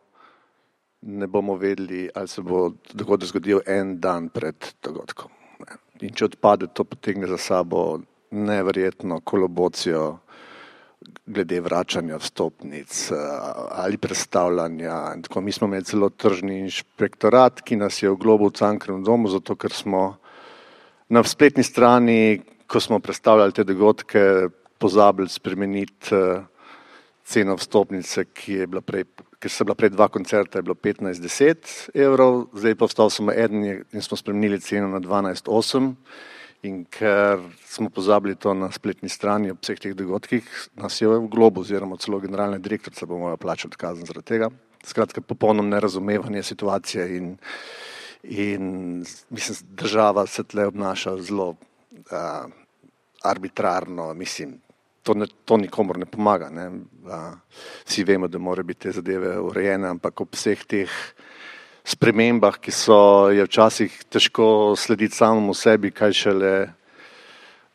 ne bomo vedeli, ali se bo dogodek zgodil en dan pred dogodkom. In če odpade, to potegne za sabo neverjetno kolobocijo glede vračanja vstopnic ali predstavljanja. In tako, mi smo imeli celo tržni inšpektorat, ki nas je oglobil v Cankarjevem domu, zato ker smo na spletni strani, ko smo predstavljali te dogodke, pozabili spremeniti ceno vstopnice, ker so bila prej 2 koncerta, je bilo 15-10 evrov, zdaj pa ostal samo eden in smo spremenili ceno na 12,8. In ker smo pozabili to na spletni strani ob vseh teh dogodkih, nas je v globu oziroma celo generalna direktorica bo morala plačati kazen zaradi tega. Skratka, popolno nerazumevanje situacije in mislim, država se tle obnaša zelo arbitrarno, mislim, to nikomor ne pomaga. Ne. Vsi vemo, da mora biti te zadeve urejene, ampak ob vseh teh spremembah, ki je včasih težko slediti samemu sebi, kaj šele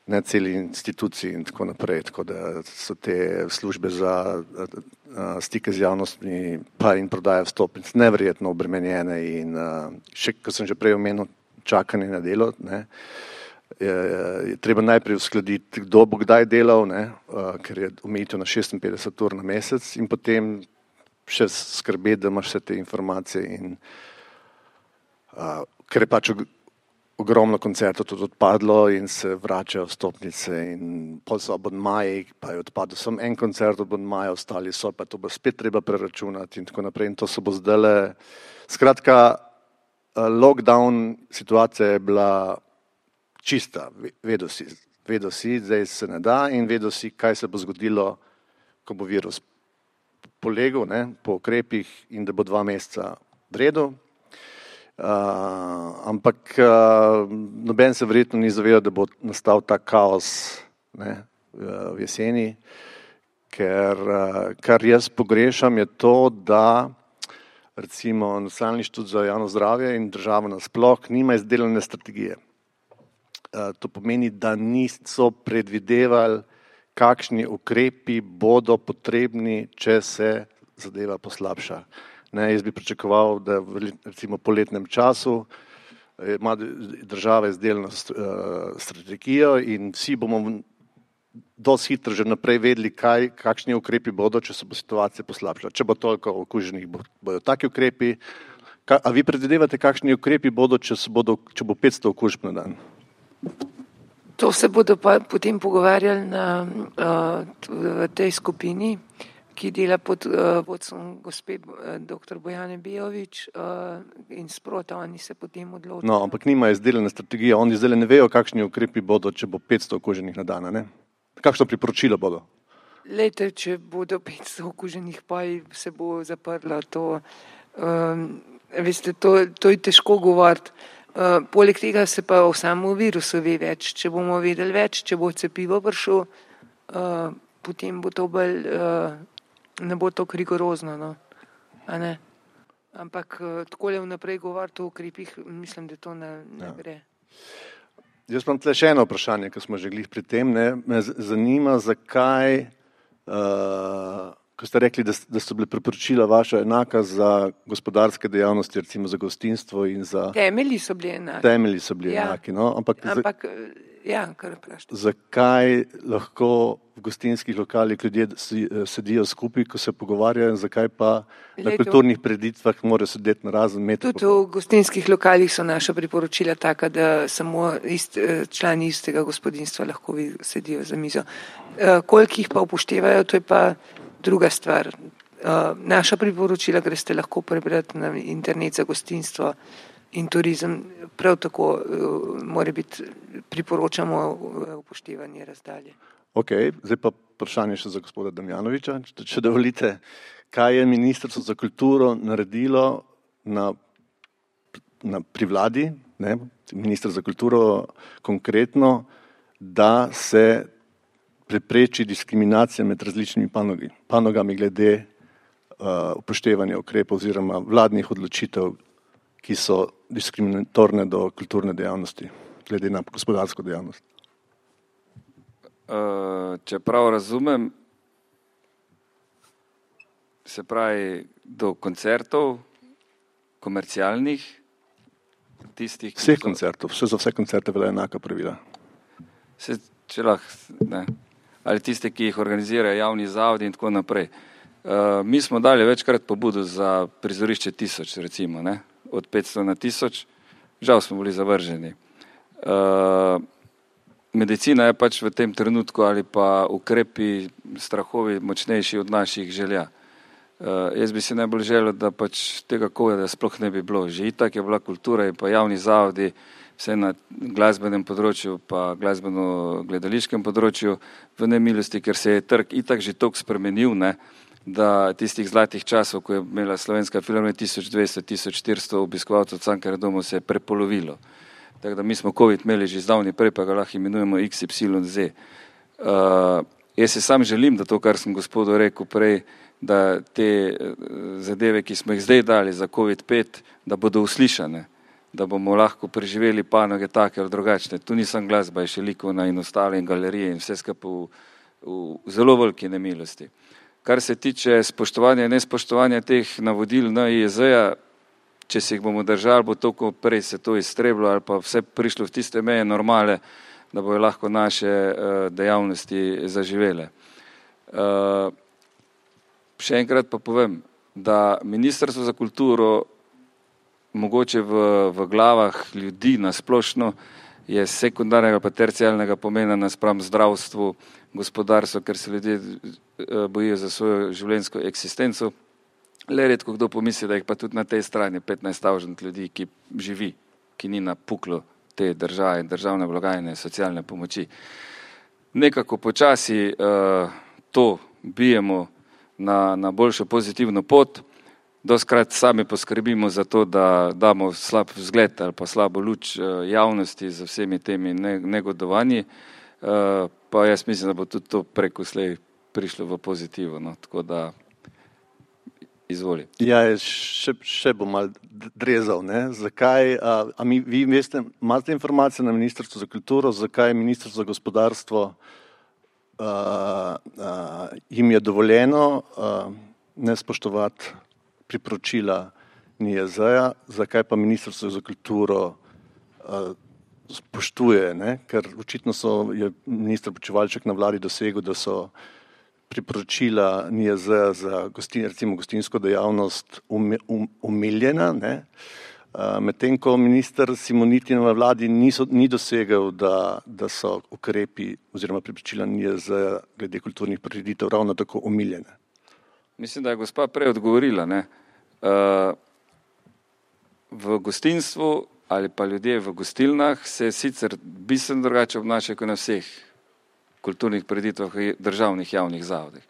ne celi instituciji in tako naprej. Tako da so te službe za stike z javnostmi pa in prodaja vstopnic neverjetno obremenjene in še, ko sem že prej omenil, čakanje na delo, ne, je treba najprej uskladiti, kdo bo kdaj delal, ne, ker je omejitev na 56 ur na mesec in potem še skrbeti, da imaš vse te informacije in ker je pač ogromno koncertov tudi odpadlo in se vračajo vstopnice in pol so abonmaji, pa je odpadlo samo en koncert abonmaja, ostali so, pa to bo spet treba preračunati in tako naprej in to se bo zdajle. Skratka, lockdown situacija je bila čista, vedel si, zdaj se ne da in vedel si, kaj se bo zgodilo, ko bo virus polegel, ne, po ukrepih in da bo 2 meseca v redu. Ampak noben se verjetno ni zavedal, da bo nastal ta kaos, ne, v jeseni, ker kar jaz pogrešam je to, da recimo Nacionalni inštitut za javno zdravje in država nasploh nima izdelane strategije. To pomeni, da niso predvidevali, kakšni ukrepi bodo potrebni, če se zadeva poslabša. Ne, jaz bi pričakoval, da recimo po letnem času ima država izdelano strategijo in vsi bomo dosti hitro že naprej vedeli, kakšni ukrepi bodo, če se bo situacija poslabšala. Če bo toliko okuženih, bodo taki ukrepi. A vi predvidevate, kakšni ukrepi bodo, če bo 500 okužb na dan? To se bodo pa potem pogovarjali v tej skupini, ki dela pod vodstvom gospe dr. Bojane Bijovič in sprota oni se potem odločijo. No, ampak nima izdelane strategije, oni zdaj ne vejo, kakšni ukrepi bodo, če bo 500 okuženih na dan, ne? Kakšno priporočilo bodo? Lejte, če bodo 500 okuženih, pa se bo zaprlo to. Veste, to je težko govoriti. Poleg tega se pa o samem virusu ve več. Če bomo vedeli več, če bo cepivo prišlo, potem bo to bolj, ne bo to rigorozno, no. A ne? Ampak takole vnaprej govoriti o ukrepih, mislim, da to ne gre. Jaz imam tle še eno vprašanje, ko smo že glih pri tem, ne. Me zanima, zakaj, ko ste rekli, da so bile priporočila vaša enaka za gospodarske dejavnosti, recimo za gostinstvo in za... Temelji so bili enaki, no. Ampak kar vprašajte. Zakaj lahko v gostinskih lokalih ljudje sedijo skupaj, ko se pogovarjajo, zakaj pa na kulturnih preditvah morajo sedeti na razen meter? Tudi v gostinskih lokalih so naša priporočila taka, da samo člani istega gospodinjstva lahko sedijo za mizo. Koliko jih pa upoštevajo, to je pa druga stvar. Naša priporočila greste lahko prebrati na internet za gostinstvo in turizem. Prav tako mora biti, priporočamo upoštevanje razdalje. Ok, zdaj pa vprašanje še za gospoda Damjanoviča, če dovolite. Kaj je Ministrstvo za kulturo naredilo pri vladi, ne, minister za kulturo konkretno, da se prepreči diskriminacija med različnimi panogami glede upoštevanja ukrepov oziroma vladnih odločitev, ki so diskriminatorne do kulturne dejavnosti, glede na gospodarsko dejavnost? Če prav razumem, se pravi do koncertov, komercialnih, tistih... Vseh koncertov, za vse koncerte velja enaka pravila. Če lahko, ne. Ali tiste, ki jih organizirajo javni zavodi in tako naprej. Mi smo dali večkrat pobudo za prizorišče 1000, recimo, ne, od 500 na 1000, žal smo bili zavrženi. Medicina je pač v tem trenutku ali pa ukrepi, strahovi močnejši od naših želja. Jaz bi si najbolj želel, da pač tega covida sploh ne bi bilo. Že itak je bila kultura in pa javni zavodi, vse na glasbenem področju pa glasbeno-gledališkem področju v nemilosti, ker se je trg itak že toliko spremenil, ne, da tistih zlatih časov, ko je imela Slovenska filharmonija 1200-1400 obiskovalcev Cankarjevega doma, se je prepolovilo. Tako da mi smo COVID imeli že zdavni prej, pa ga lahko imenujemo XYZ. Jaz se sam želim, da to, kar sem gospodu rekel prej, da te zadeve, ki smo jih zdaj dali za COVID-5, da bodo uslišane, da bomo lahko preživeli panoge take ali drugačne. Tu nisem glasba, je še likovna in ostale in galerije in vse skupaj v zelo veliki nemilosti. Kar se tiče spoštovanja in nespoštovanja teh navodil NIJZ-ja, če se jih bomo držali, bo toliko prej se to iztrebilo ali pa vse prišlo v tiste meje normale, da bojo lahko naše dejavnosti zaživele. Še enkrat pa povem, da Ministrstvo za kulturo mogoče v glavah ljudi nasplošno je sekundarnega pa terciarnega pomena naspram zdravstvu, gospodarstvu, ker se ljudje bojijo za svojo življenjsko eksistenco. Le redko kdo pomisli, da jih pa tudi na tej strani 15,000 ljudi, ki živi, ki ni na puklu te države, državne blagajne, socialne pomoči. Nekako počasi to bijemo na boljšo pozitivno pot. Doskrat sami poskrbimo za to, da damo slab vzgled ali pa slabo luč javnosti z vsemi temi negodovanji, pa jaz mislim, da bo tudi to preko slej prišlo v pozitivo, no, tako da izvoli. Ja, še bom malo drezal, ne, zakaj, vi veste, imate informacije na Ministrstvu za kulturo, zakaj Ministrstvo za gospodarstvo jim je dovoljeno ne spoštovati priporočila NIJZ-ja, zakaj pa Ministrstvo za kulturo spoštuje, ne? Ker očitno je minister Počivalšek na vladi dosegel, da so priporočila NIJZ-ja za recimo gostinsko dejavnost umiljena, ne? Medtem ko minister Simoniti na vladi ni dosegel, da so ukrepi oziroma priporočila NIJZ-ja glede kulturnih prireditev ravno tako umiljene. Mislim, da je gospa prej odgovorila, ne. V gostinstvu ali pa ljudje v gostilnah se sicer bistveno drugače obnašajo kot na vseh kulturnih prireditvah v državnih javnih zavodih.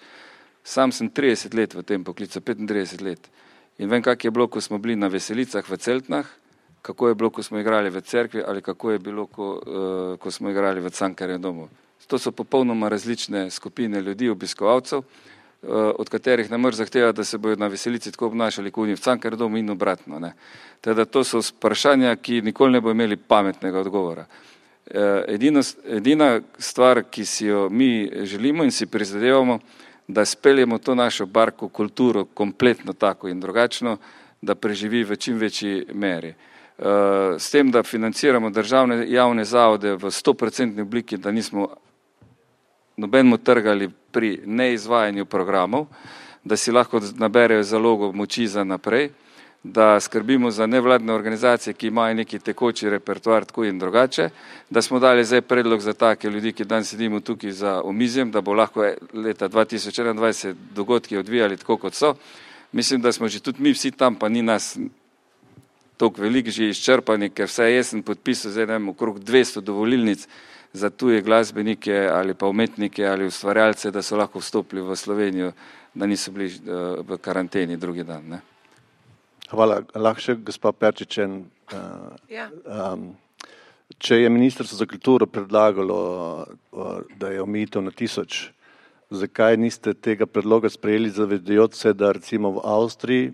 Sam sem 30 let v tem poklicu, 35 let in vem, kak je bilo, ko smo bili na veselicah v Celtnah, kako je bilo, ko smo igrali v cerkvi ali kako je bilo, ko smo igrali v Cankarjevem domu. To so popolnoma različne skupine ljudi, obiskovalcev, od katerih ne moreš zahtevati, da se bodo na veselici tako obnašali kot v Cankarjevem domu in obratno, ne. Teda to so vprašanja, ki nikoli ne bo imeli pametnega odgovora. Edina stvar, ki si jo mi želimo in si prizadevamo, da speljemo to našo barko kulturo kompletno tako in drugačno, da preživi v čim večji meri. S tem, da financiramo državne javne zavode v 100% obliki, da nismo nobenemu trgali pri neizvajanju programov, da si lahko naberejo zalogo moči za naprej, da skrbimo za nevladne organizacije, ki imajo neki tekoči repertoar tako in drugače, da smo dali zdaj predlog za take ljudi, ki danes sedimo tukaj za omizjem, da bo lahko leta 2021 dogodki odvijali tako, kot so. Mislim, da smo že tudi mi vsi tam, pa ni nas toliko veliko že izčrpani, ker vse jaz sem podpisal zdaj ne vem, okrog 200 dovolilnic za tuje glasbenike ali pa umetnike ali ustvarjalce, da so lahko vstopili v Slovenijo, da niso bili v karanteni drugi dan, ne. Hvala. Lahko še gospa Perčičen. Če je Ministrstvo za kulturo predlagalo, da je omejitev na 1000, zakaj niste tega predloga sprejeli, zavedajoč se, da recimo v Avstriji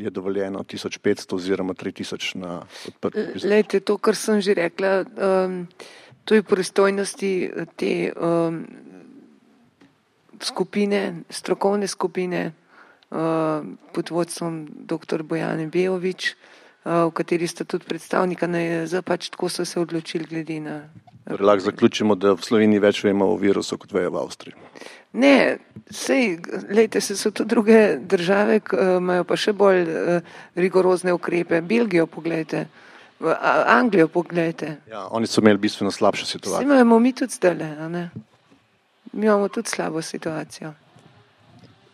je dovoljeno 1500 oziroma 3000 na odprti prizor? Lejte, to, kar sem že rekla, to je pristojnosti te skupine, strokovne skupine, pod vodstvom dr. Bojane Bejović, v kateri sta tudi predstavnika NIJZ, pač tako so se odločili glede na... Lahko zaključimo, da v Sloveniji več vemo o virusu, kot vejo v Avstriji. Ne, lejte, so to druge države, imajo pa še bolj rigorozne ukrepe. Belgijo pogledajte, Anglijo pogledajte. Ja, oni so imeli bistveno slabšo situacijo. Imamo mi tudi zdajle, a ne? Mi imamo tudi slabo situacijo.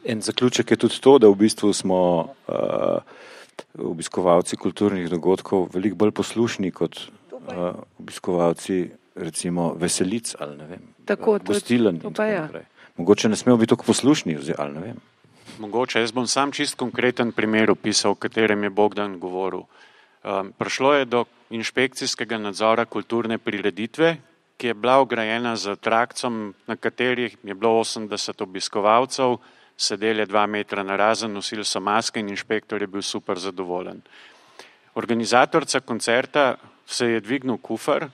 En zaključek je tudi to, da v bistvu smo obiskovalci kulturnih dogodkov veliko bolj poslušni kot obiskovalci recimo veselic ali ne vem, gostiln in tako naprej. Mogoče ne smemo biti tako poslušni ali ne vem. Mogoče, jaz bom sam čist konkreten primer opisal, o katerem je Bogdan govoril. Prišlo je do inšpekcijskega nadzora kulturne prireditve, ki je bila ograjena z trakcom, na katerih je bilo 80 obiskovalcev, sedeli 2 metra narazen, nosili so maske in inšpektor je bil super zadovoljen. Organizatorca koncerta se je dvignil kufer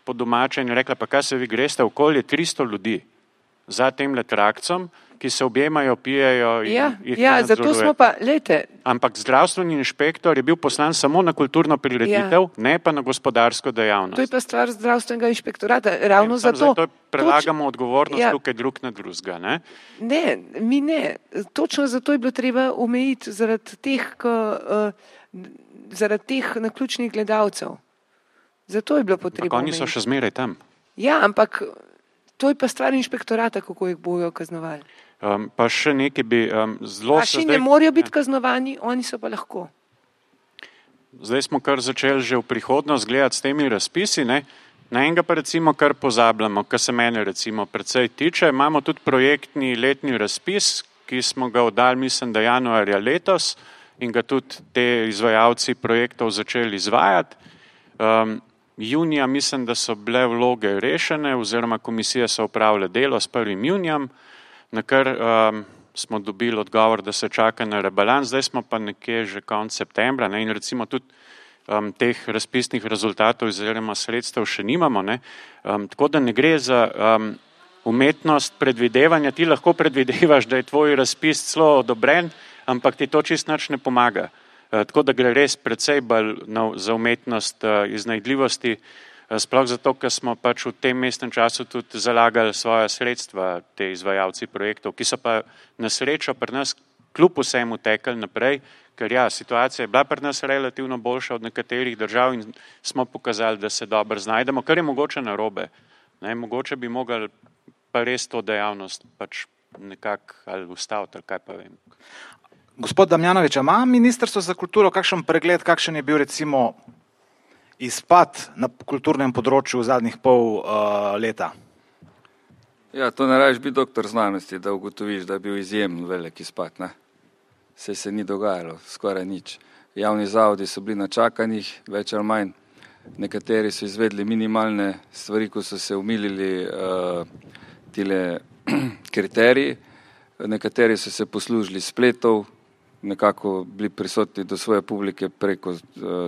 po domače in rekla, pa kaj se vi greste, okoli 300 ljudi za temle trakcom, ki se objemajo, pijejo in jih zato smo pa, lejte. Ampak zdravstveni inšpektor je bil poslan samo na kulturno prireditev, ne pa na gospodarsko dejavnost. To je pa stvar zdravstvenega inšpektorata, ravno zato. Zato prelagamo odgovornost tukaj drug na drugega, ne? Ne, mi ne. Točno zato je bilo treba omejiti zaradi teh naključnih gledalcev. Zato je bilo potrebno omejiti. Oni so še zmeraj tam. Ja, ampak to je pa stvar inšpektorata, kako jih bojo kaznovali. Pa še nekaj bi zelo... Ne morajo biti kaznovani, oni so pa lahko. Zdaj smo kar začeli že v prihodnost gledati s temi razpisi, ne? Na enega pa recimo kar pozabljamo, kar se mene recimo precej tiče. Imamo tudi projektni letni razpis, ki smo ga oddali, mislim, da januarja letos in ga tudi te izvajalci projektov začeli izvajati. Junija mislim, da so bile vloge rešene oziroma komisije so opravile delo s 1. junijem, na kar smo dobili odgovor, da se čaka na rebalans, zdaj smo pa nekje že konec septembra, ne, in recimo tudi teh razpisnih rezultatov oziroma sredstev še nimamo, ne, tako da ne gre za umetnost predvidevanja, ti lahko predvidevaš, da je tvoj razpis celo odobren, ampak ti to čisto nič ne pomaga. Tako da gre res precej bolj za umetnost iznajdljivosti, sploh zato, ker smo pač v tem mestnem času tudi zalagali svoja sredstva, te izvajalci projektov, ki so pa na srečo pri nas kljub vsemu tekli naprej, ker ja, situacija je bila pri nas relativno boljša od nekaterih držav in smo pokazali, da se dobro znajdemo, kar je mogoče narobe. Ne, mogoče bi mogli pa res to dejavnost pač nekako ali ustaviti, ali kaj pa vem. Gospod Damjanovič, ima Ministrstvo za kulturo kakšen pregled, kakšen je bil recimo izpad na kulturnem področju v zadnjih pol leta? Ja, to ne rabiš biti doktor znanosti, da ugotoviš, da je bil izjemen velik izpad. Ne? Saj se ni dogajalo, skoraj nič. Javni zavodi so bili na čakanjih, več ali manj. Nekateri so izvedli minimalne stvari, ko so se umilili tile kriteriji. Nekateri so se poslužili spletov, nekako bili prisotni do svoje publike preko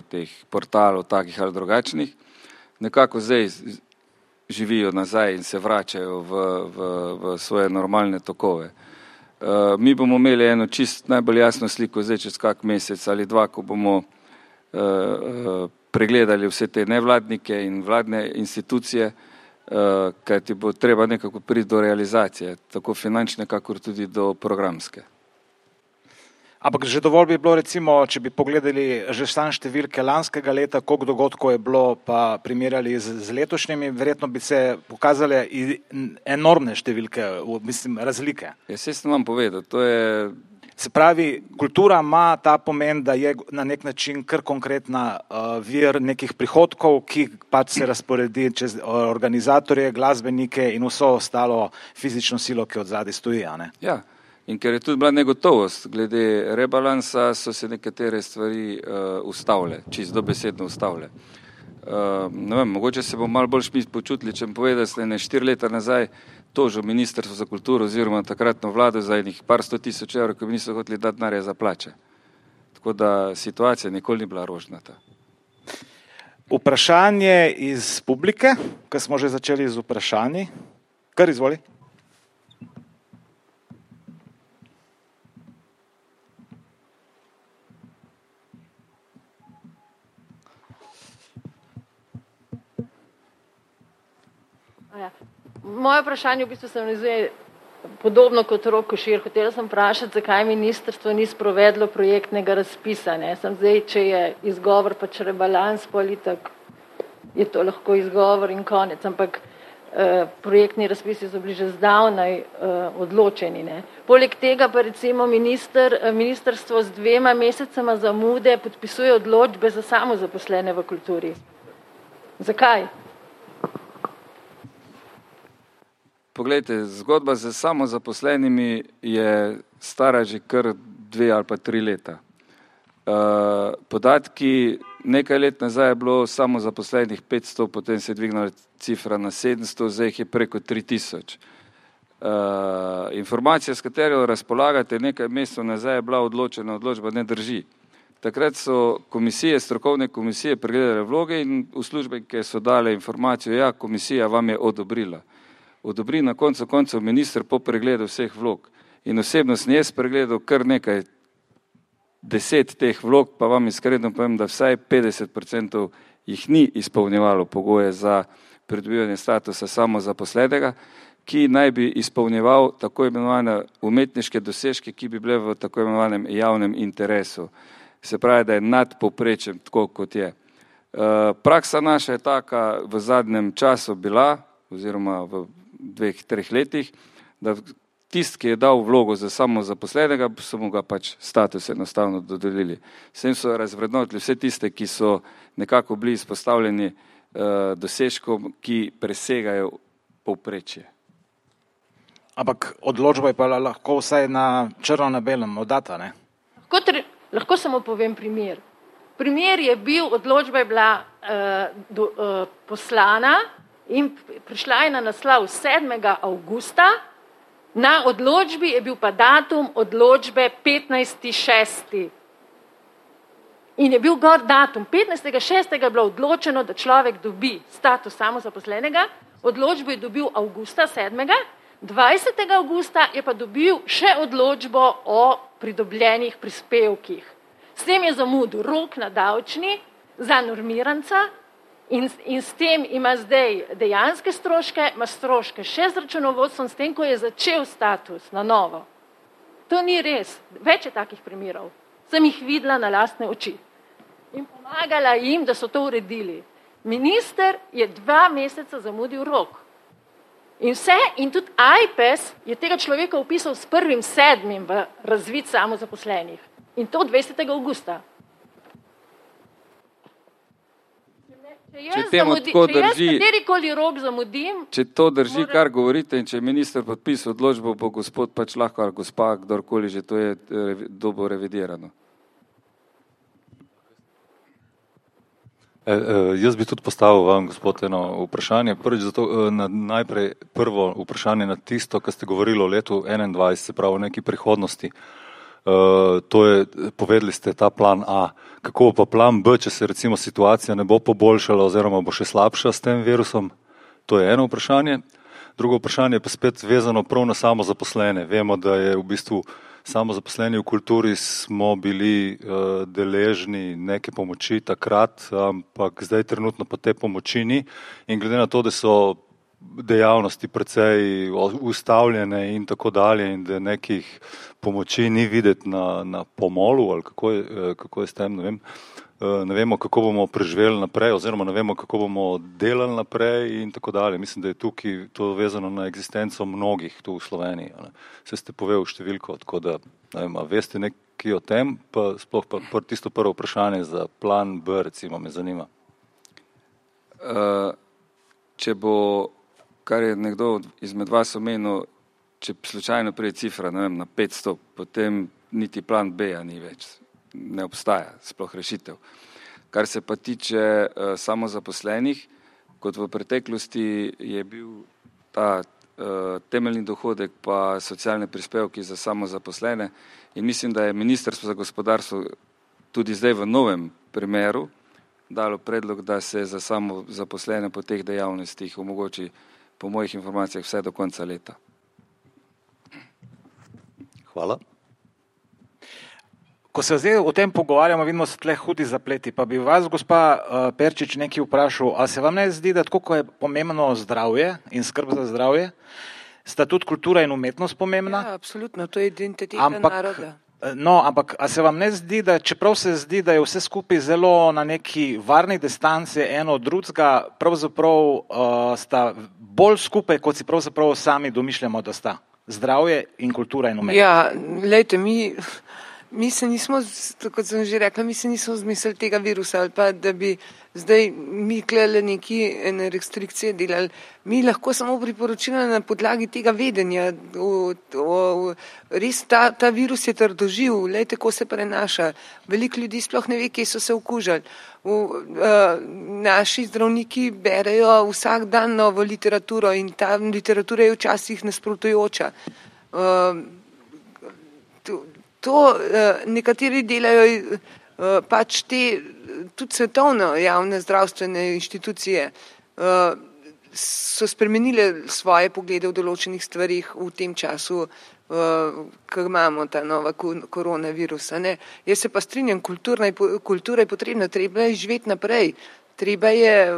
teh portalov, takih ali drugačnih. Nekako zdaj živijo nazaj in se vračajo v svoje normalne tokove. Mi bomo imeli eno čist najbolj jasno sliko zdaj čez kak mesec ali dva, ko bomo pregledali vse te nevladnike in vladne institucije, kaj ti bo treba nekako priti do realizacije, tako finančne, kakor tudi do programske. Ampak že dovolj bi bilo recimo, če bi pogledali že sam številke lanskega leta, koliko dogodkov je bilo, pa primerjali z letošnjimi, verjetno bi se pokazale enormne številke, mislim, razlike. Ja, saj sem vam povedal, to je... Se pravi, kultura ima ta pomen, da je na nek način kar konkretna vir nekih prihodkov, ki pač se razporedi čez organizatorje, glasbenike in vso ostalo fizično silo, ki od zadaj stoji, a ne? Ja, in ker je tudi bila negotovost, glede rebalansa so se nekatere stvari ustavile, čisto dobesedno ustavile. Ne vem, mogoče se bom malo bolj šmist počutili, če mi poveda, da ste 4 leta nazaj tožil Ministrstvo za kulturo oziroma takratno vlado za enih par 100 000 evrov, ko bi niso hoteli dati denarja za plače. Tako da situacija nikoli ni bila rožnata. Vprašanje iz publike, ko smo že začeli z vprašanji. Kar izvoli. Moje vprašanje v bistvu se navezuje podobno kot Rok Košir. Hotela sem vprašati, zakaj ministrstvo ni sprovedlo projektnega razpisa. Ne? Sem zdaj, če je izgovor pač rebalans, politik, je to lahko izgovor in konec. Ampak projektni razpisi so bili že zdavnaj odločeni. Ne? Poleg tega pa recimo ministrstvo z 2 mesecema zamude podpisuje odločbe za samozaposlene v kulturi. Zakaj? Poglejte, zgodba z samozaposlenimi je stara že kar 2 ali pa 3 leta. Podatki, nekaj let nazaj je bilo samozaposlenih 500, potem se je dvignila cifra na 700, zdaj jih je preko 3000. Informacija, s katero razpolagate, nekaj mesecev nazaj je bila odločena odločba, ne drži. Takrat so komisije, strokovne komisije pregledale vloge in uslužbenke so dale informacijo, ja, komisija vam je odobrila. Odobri na koncu koncev minister po pregledu vseh vlog. In osebno sem jaz pregledal kar nekaj 10 teh vlog, pa vam iskreno povem, da vsaj 50% jih ni izpolnjevalo pogoje za pridobivanje statusa samozaposlenega, ki naj bi izpolnjeval tako imenovane umetniške dosežke, ki bi bile v tako imenovanem javnem interesu. Se pravi, da je nad povprečjem tako, kot je. Praksa naša je taka v zadnjem času bila, oziroma v 2-3 letih, da tisti, ki je dal vlogo za samozaposlenega, so mu ga pač status enostavno dodelili. S tem so razvrednotili vse tiste, ki so nekako bili izpostavljeni dosežkom, ki presegajo povprečje. Ampak odločba je pa lahko vsaj na črno na belem oddata, ne? Lahko samo povem primer. Primer je bil, odločba je bila poslana in prišla je na naslov 7. avgusta, na odločbi je bil pa datum odločbe 15.6. In je bil gor datum. 15.6. je bilo odločeno, da človek dobi status samozaposlenega, odločbo je dobil avgusta 7. 20. avgusta je pa dobil še odločbo o pridobljenih prispevkih. S tem je zamudil rok na davčni za normiranca in s tem ima zdaj dejanske stroške, ima stroške še z računovodstvom, s tem, ko je začel status na novo. To ni res. Več je takih primerov. Sem jih videla na lastne oči. In pomagala jim, da so to uredili. Minister je 2 meseca zamudil rok. In tudi AJPES je tega človeka upisal s 1.7. v razvid samozaposlenih. In to 20. avgusta. Če jaz katerikoli rok zamudim... Če to drži, kar govorite, in če je minister podpisal odločbo, bo gospod pač lahko, ali gospa, kdorkoli že to je dobo revidirano. Jaz bi tudi postavil vam, gospod, eno vprašanje. Najprej prvo vprašanje na tisto, kar ste govorili o letu 2021, se pravi o neki prihodnosti. Povedali ste ta plan A. Kako pa plan B, če se recimo situacija ne bo poboljšala oziroma bo še slabša s tem virusom? To je eno vprašanje. Drugo vprašanje je pa spet vezano prav na samozaposlene. Vemo, da je v bistvu samozaposleni v kulturi smo bili deležni neke pomoči takrat, ampak zdaj trenutno pa te pomoči ni. In glede na to, da so dejavnosti precej ustavljene in tako dalje in da nekih pomoči ni videti na pomolu ali kako je s tem, ne vem. Ne vemo, kako bomo preživeli naprej oziroma ne vemo, kako bomo delali naprej in tako dalje. Mislim, da je tukaj to vezano na eksistenco mnogih tu v Sloveniji. Se ste povedali številko, tako da ne vem, veste nekaj o tem, pa sploh pa tisto prvo vprašanje za plan B, recimo, me zanima. Če bo, kar je nekdo izmed vas omenil, če slučajno prije cifra, ne vem, na 500, potem niti plan B-ja ni več. Ne obstaja sploh rešitev. Kar se pa tiče samozaposlenih, kot v preteklosti je bil ta temeljni dohodek pa socialne prispevki za samozaposlene in mislim, da je Ministrstvo za gospodarstvo tudi zdaj v novem primeru dalo predlog, da se za samozaposlene po teh dejavnostih omogoči po mojih informacijah vse do konca leta. Hvala. Ko se zdaj o tem pogovarjamo, vidimo se tle hudi zapleti, pa bi vas, gospa Perčič, nekaj vprašal, a se vam ne zdi, da tako, ko je pomembno zdravje in skrb za zdravje, sta tudi kultura in umetnost pomembna? Ja, absolutno, to je identiteta naroda. No, ampak a se vam ne zdi, da čeprav se zdi, da je vse skupaj zelo na neki varni distanci eno od drugega, pravzaprav sta bolj skupaj, kot si pravzaprav sami domišljamo, da sta zdravje in kultura in umetnost? Ja, lejte, mi se nismo, kot sem že rekla, mi se nismo zmislili tega virusa ali pa, da bi zdaj mi klele ene restrikcije delali. Mi lahko samo priporočila na podlagi tega vedenja. Res ta virus je trdoživ, lejte, ko se prenaša. Veliko ljudi sploh ne ve, kje so se okužili. Naši zdravniki berejo vsak dan novo literaturo in ta literatura je včasih nasprotujoča. Nekateri delajo pač te tudi svetovno javne zdravstvene inštitucije so spremenile svoje poglede v določenih stvarih v tem času, ko imamo ta nova koronavirusa. Jaz se pa strinjam, kultura je potrebna, treba je živeti naprej, treba je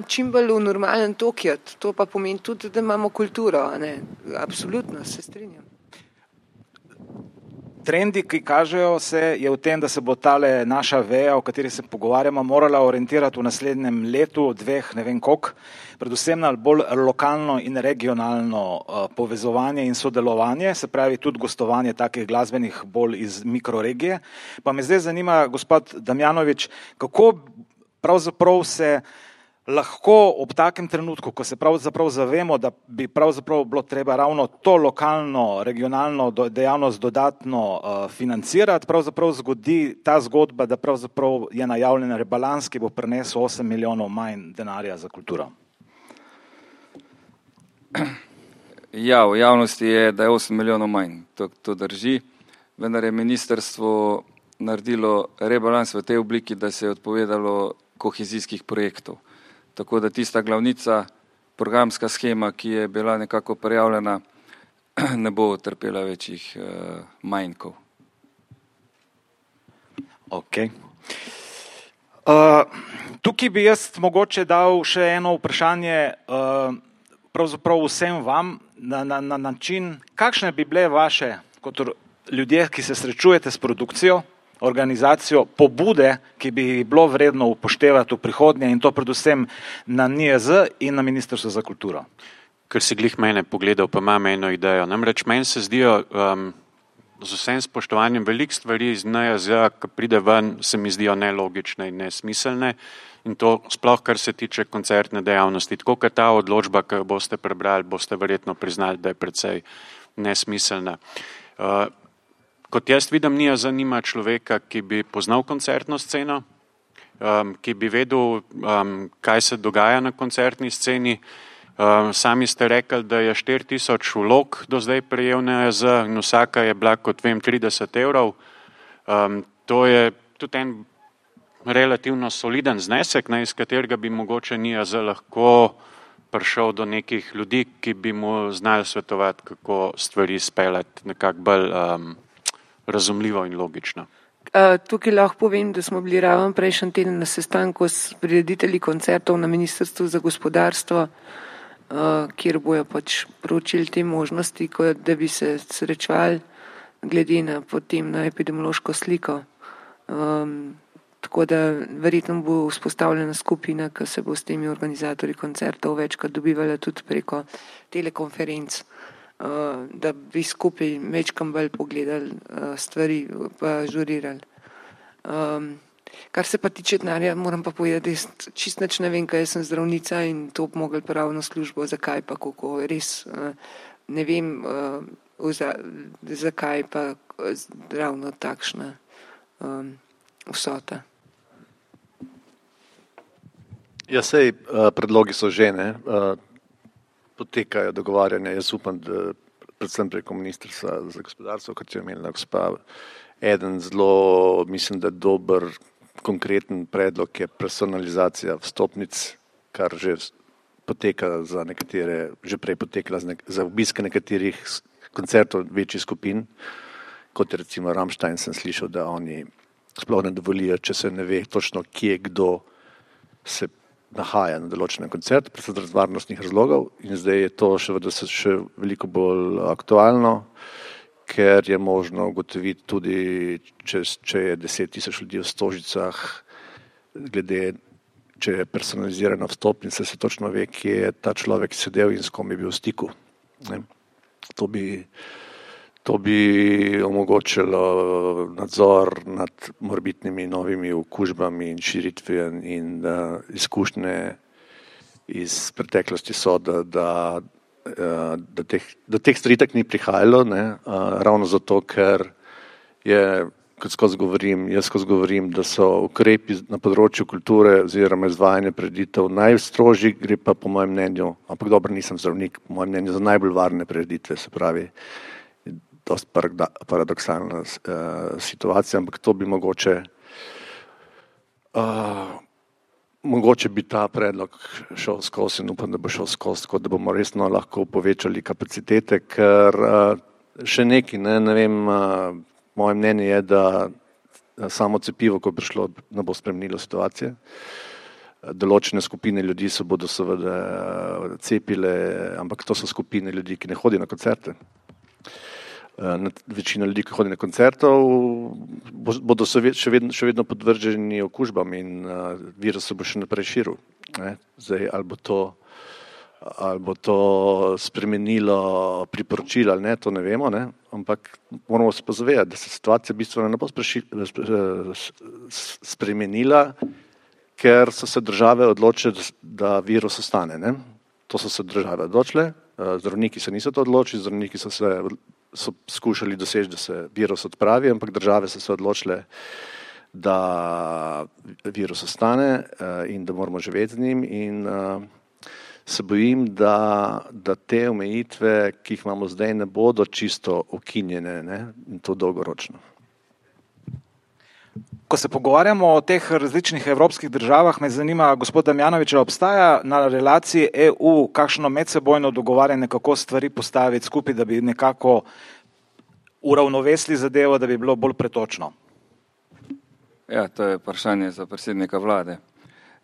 čim bolj v normalen tokjat, to pa pomeni tudi, da imamo kulturo. Absolutno se strinjam. Trendi, ki kažejo se, je v tem, da se bo tale naša veja, o kateri se pogovarjamo, morala orientirati v naslednjem letu, 2, ne vem koliko, predvsem na bolj lokalno in regionalno povezovanje in sodelovanje, se pravi tudi gostovanje takih glasbenih bolj iz mikroregije. Pa me zdaj zanima, gospod Damjanovič, kako pravzaprav se lahko ob takem trenutku, ko se pravzaprav zavemo, da bi pravzaprav bilo treba ravno to lokalno, regionalno dejavnost dodatno financirati, pravzaprav zgodi ta zgodba, da pravzaprav je najavljen rebalans, ki bo prinesel 8 milijonov manj denarja za kulturo. Ja, v javnosti je, da je 8 milijonov manj, to drži, vendar je ministrstvo naredilo rebalans v tej obliki, da se je odpovedalo kohezijskih projektov. Tako da tista glavnica, programska schema, ki je bila nekako prijavljena, ne bo trpela večjih manjkov. Okay. Tukaj bi jaz mogoče dal še eno vprašanje pravzaprav vsem vam na način, kakšne bi bile vaše, kot ljudje, ki se srečujete s produkcijo, organizacijo, pobude, ki bi bilo vredno upoštevati v prihodnje in to predvsem na NIJZ in na Ministrstvo za kulturo. Ker si glih mene pogledal, pa imam eno idejo. Namreč meni se zdijo z vsem spoštovanjem veliko stvari iz NIJZ, ki pride ven, se mi zdijo nelogične in nesmiselne. In to sploh, kar se tiče koncertne dejavnosti. Tako kot ta odločba, ki jo boste prebrali, boste verjetno priznali, da je precej nesmiselna. Kot jaz vidim, NIJZ zanima človeka, ki bi poznal koncertno sceno, ki bi vedel, kaj se dogaja na koncertni sceni. Sami ste rekli, da je 4000 vlog do zdaj prejel NIJZ in vsaka je bila, kot vem, 30 €. To je tudi en relativno soliden znesek, iz katerega bi mogoče NIJZ lahko prišel do nekih ljudi, ki bi mu znali svetovati, kako stvari speljati nekako bolj razumljivo in logično. Tukaj lahko povem, da smo bili ravno prejšnji teden na sestanku s prireditelji koncertov na Ministrstvu za gospodarstvo, kjer bojo pač proučili te možnosti, da bi se srečevali glede na potem na epidemiološko sliko. Tako da verjetno bo vzpostavljena skupina, ki se bo s temi organizatorji koncertov večkrat dobivala tudi preko telekonferenc, da bi skupaj večkrat bolj pogledali stvari pa žurirali. Kar se pa tiče denarja, moram pa povedati, da čist nič ne vem, kaj jaz sem zdravnica in to bi mogli pravno službo, zakaj pa kako, res ne vem, zakaj pa ravno takšna vsota. Ja, sej predlogi so že, potekajo dogovarjanja, jaz upam, da predvsem preko Ministrstva za gospodarstvo, kot je omenila gospa, eden zelo, mislim, da dober, konkreten predlog je personalizacija vstopnic, kar že poteka za nekatere, že prej potekala za obiske nekaterih koncertov večjih skupin, kot je recimo Rammstein, sem slišal, da oni sploh ne dovolijo, če se ne ve točno, kje kdo se nahaja na določenem koncertu, predvsem zaradi varnostnih razlogov, in zdaj je to še veliko bolj aktualno, ker je možno ugotoviti tudi, če je 10 000 ljudi v Stožicah, glede, če je personalizirana vstopnica, se točno ve, kje je ta človek sedel in s kom je bil v stiku. To bi omogočilo nadzor nad morebitnimi novimi okužbami in širitve in izkušnje iz preteklosti so, da do teh stvari tak ni prihajalo, ravno zato, ker je, kot jaz skozi govorim, da so ukrepi na področju kulture oziroma izvajanja prireditev najstrožji, gre pa po mojem mnenju, ampak dobro, nisem zdravnik, po mojem mnenju za najbolj varne prireditve, se pravi, dosti paradoksalna situacija, ampak to bi mogoče bi ta predlog šel skozi in upam, da bo šel skozi, tako da bomo resno lahko povečali kapacitete, ker še nekaj, ne vem, moje mnenje je, da samo cepivo, ko je prišlo, ne bo spremenilo situacije. Določene skupine ljudi se bodo seveda cepile, ampak to so skupine ljudi, ki ne hodijo na koncerte. Večina ljudi, ki hodi na koncertov, bodo še vedno podvrženi okužbam in virus se bo še naprej širil. Zdaj, ali bo to spremenilo priporočila ali ne, to ne vemo, ampak moramo se pa zavedati, da se situacija bistveno ne bo spremenila, ker so se države odločile, da virus ostane. Ne? To so se države odločile, zdravniki se niso to odločili, zdravniki so skušali doseči, da se virus odpravi, ampak države so se odločile, da virus ostane in da moramo živeti z njim in se bojim, da te omejitve, ki jih imamo zdaj, ne bodo čisto ukinjene, ne? In to dolgoročno. Ko se pogovarjamo o teh različnih evropskih državah, me zanima, gospod Damjanovič, obstaja na relaciji EU kakšno medsebojno dogovarjanje, kako stvari postaviti skupaj, da bi nekako uravnovesili zadevo, da bi bilo bolj pretočno? Ja, to je vprašanje za predsednika vlade.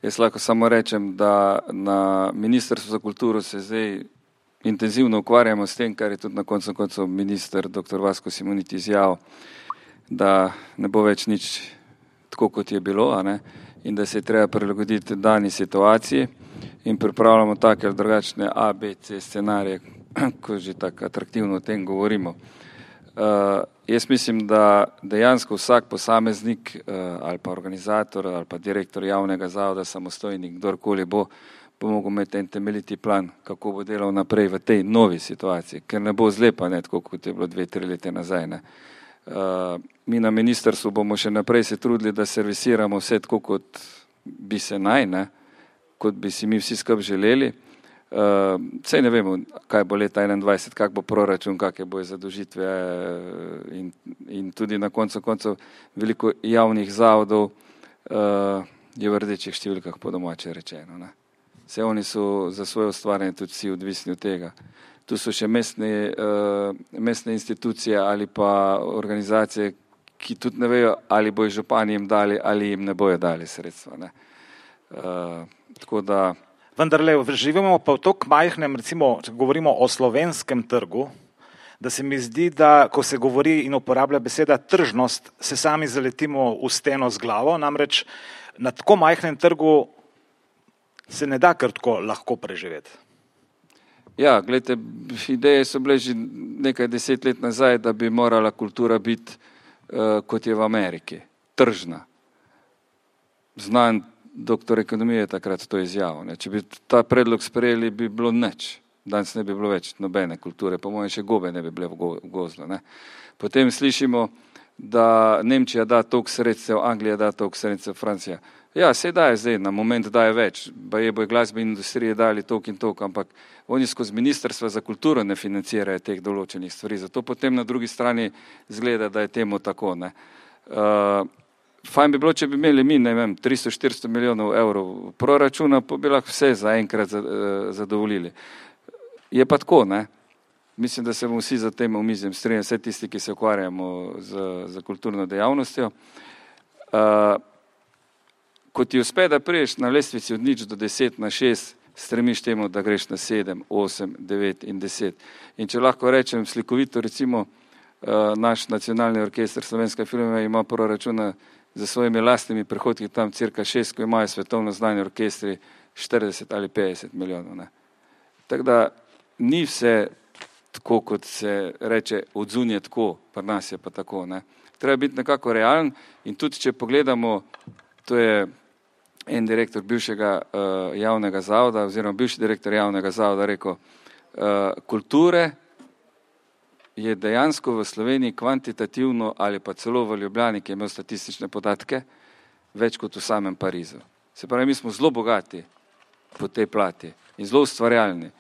Jaz lahko samo rečem, da na Ministrstvu za kulturo se zdaj intenzivno ukvarjamo s tem, kar je tudi na koncu minister dr. Vasko Simoniti izjavil, da ne bo več nič tako, kot je bilo, a ne? In da se je treba prilagoditi dani situaciji in pripravljamo take ali drugačne A, B, C scenarije, ko že tako atraktivno o tem govorimo. Jaz mislim, da dejansko vsak posameznik ali pa organizator ali pa direktor javnega zavoda, samostojnik, kdorkoli bo mogel imeti en temeljiti plan, kako bo delal naprej v tej novi situaciji, ker ne bo zlepa, ne, tako kot je bilo 2-3 leta nazaj. Ne. Mi na ministrstvu bomo še naprej se trudili, da servisiramo vse tako, kot bi se naj, ne, kot bi si mi vsi skupaj želeli. Saj ne vemo, kaj bo leta 2021, kak bo proračun, kakve bojo zadolžitve in tudi na koncu veliko javnih zavodov je v rdečih številkah po domače rečeno. Ne. Vse oni so za svoje ustvarjanje tudi vsi odvisni od tega. Tu so še mestne institucije ali pa organizacije, ki tudi ne vejo, ali bojo župani jim dali ali jim ne bojo dali sredstva. Ne. Tako da vendarle živimo pa v toliko majhnem, recimo, če govorimo o slovenskem trgu, da se mi zdi, da ko se govori in uporablja beseda tržnost, se sami zaletimo v steno z glavo, namreč na tako majhnem trgu se ne da kar tako lahko preživeti. Ja, gledajte, ideje so bile že nekaj 10 let nazaj, da bi morala kultura biti, kot je v Ameriki, tržna. Znan doktor ekonomije je takrat to izjavil. Ne. Če bi ta predlog sprejeli, bi bilo nič. Danes ne bi bilo več nobene kulture, po mojem še gobe ne bi bile v gozdu. Ne. Potem slišimo, da Nemčija da toliko sredstev, Anglija da toliko sredstev, Francija. Ja, se daje zdaj, na moment daje več, baje bojo glasbene industrije dali toliko in toliko, ampak oni skozi Ministrstva za kulturo ne financirajo teh določenih stvari, zato potem na drugi strani zgleda, da je temu tako. Ne. Fajn bi bilo, če bi imeli mi, ne vem, 300-400 milijonov evrov proračuna, pa bi lahko vse zaenkrat zadovoljili. Je pa tako, ne? Mislim, da se bomo vsi za tem omizjem strinjali, vse tisti, ki se ukvarjamo z kulturno dejavnostjo. Ko ti uspe, da priješ na lestvici od 0 do 10 na 6, stremiš temu, da greš na 7, 8, 9 in 10. In če lahko rečem slikovito, recimo, naš nacionalni orkester Slovenska filma ima proračuna za svojimi lastnimi prihodki tam cirka 6, ko imajo svetovno znani orkestri 40 ali 50 milijonov. Ne. Tako da ni vse tako, kot se reče, odzunje tako, pri nas je pa tako. Ne. Treba biti nekako realen in tudi, če pogledamo, to je en direktor bivšega javnega zavoda, oziroma bivši direktor javnega zavoda rekel, kulture je dejansko v Sloveniji kvantitativno ali pa celo v Ljubljani, ki je imel statistične podatke, več kot v samem Parizu. Se pravi, mi smo zelo bogati po tej plati in zelo ustvarjalni.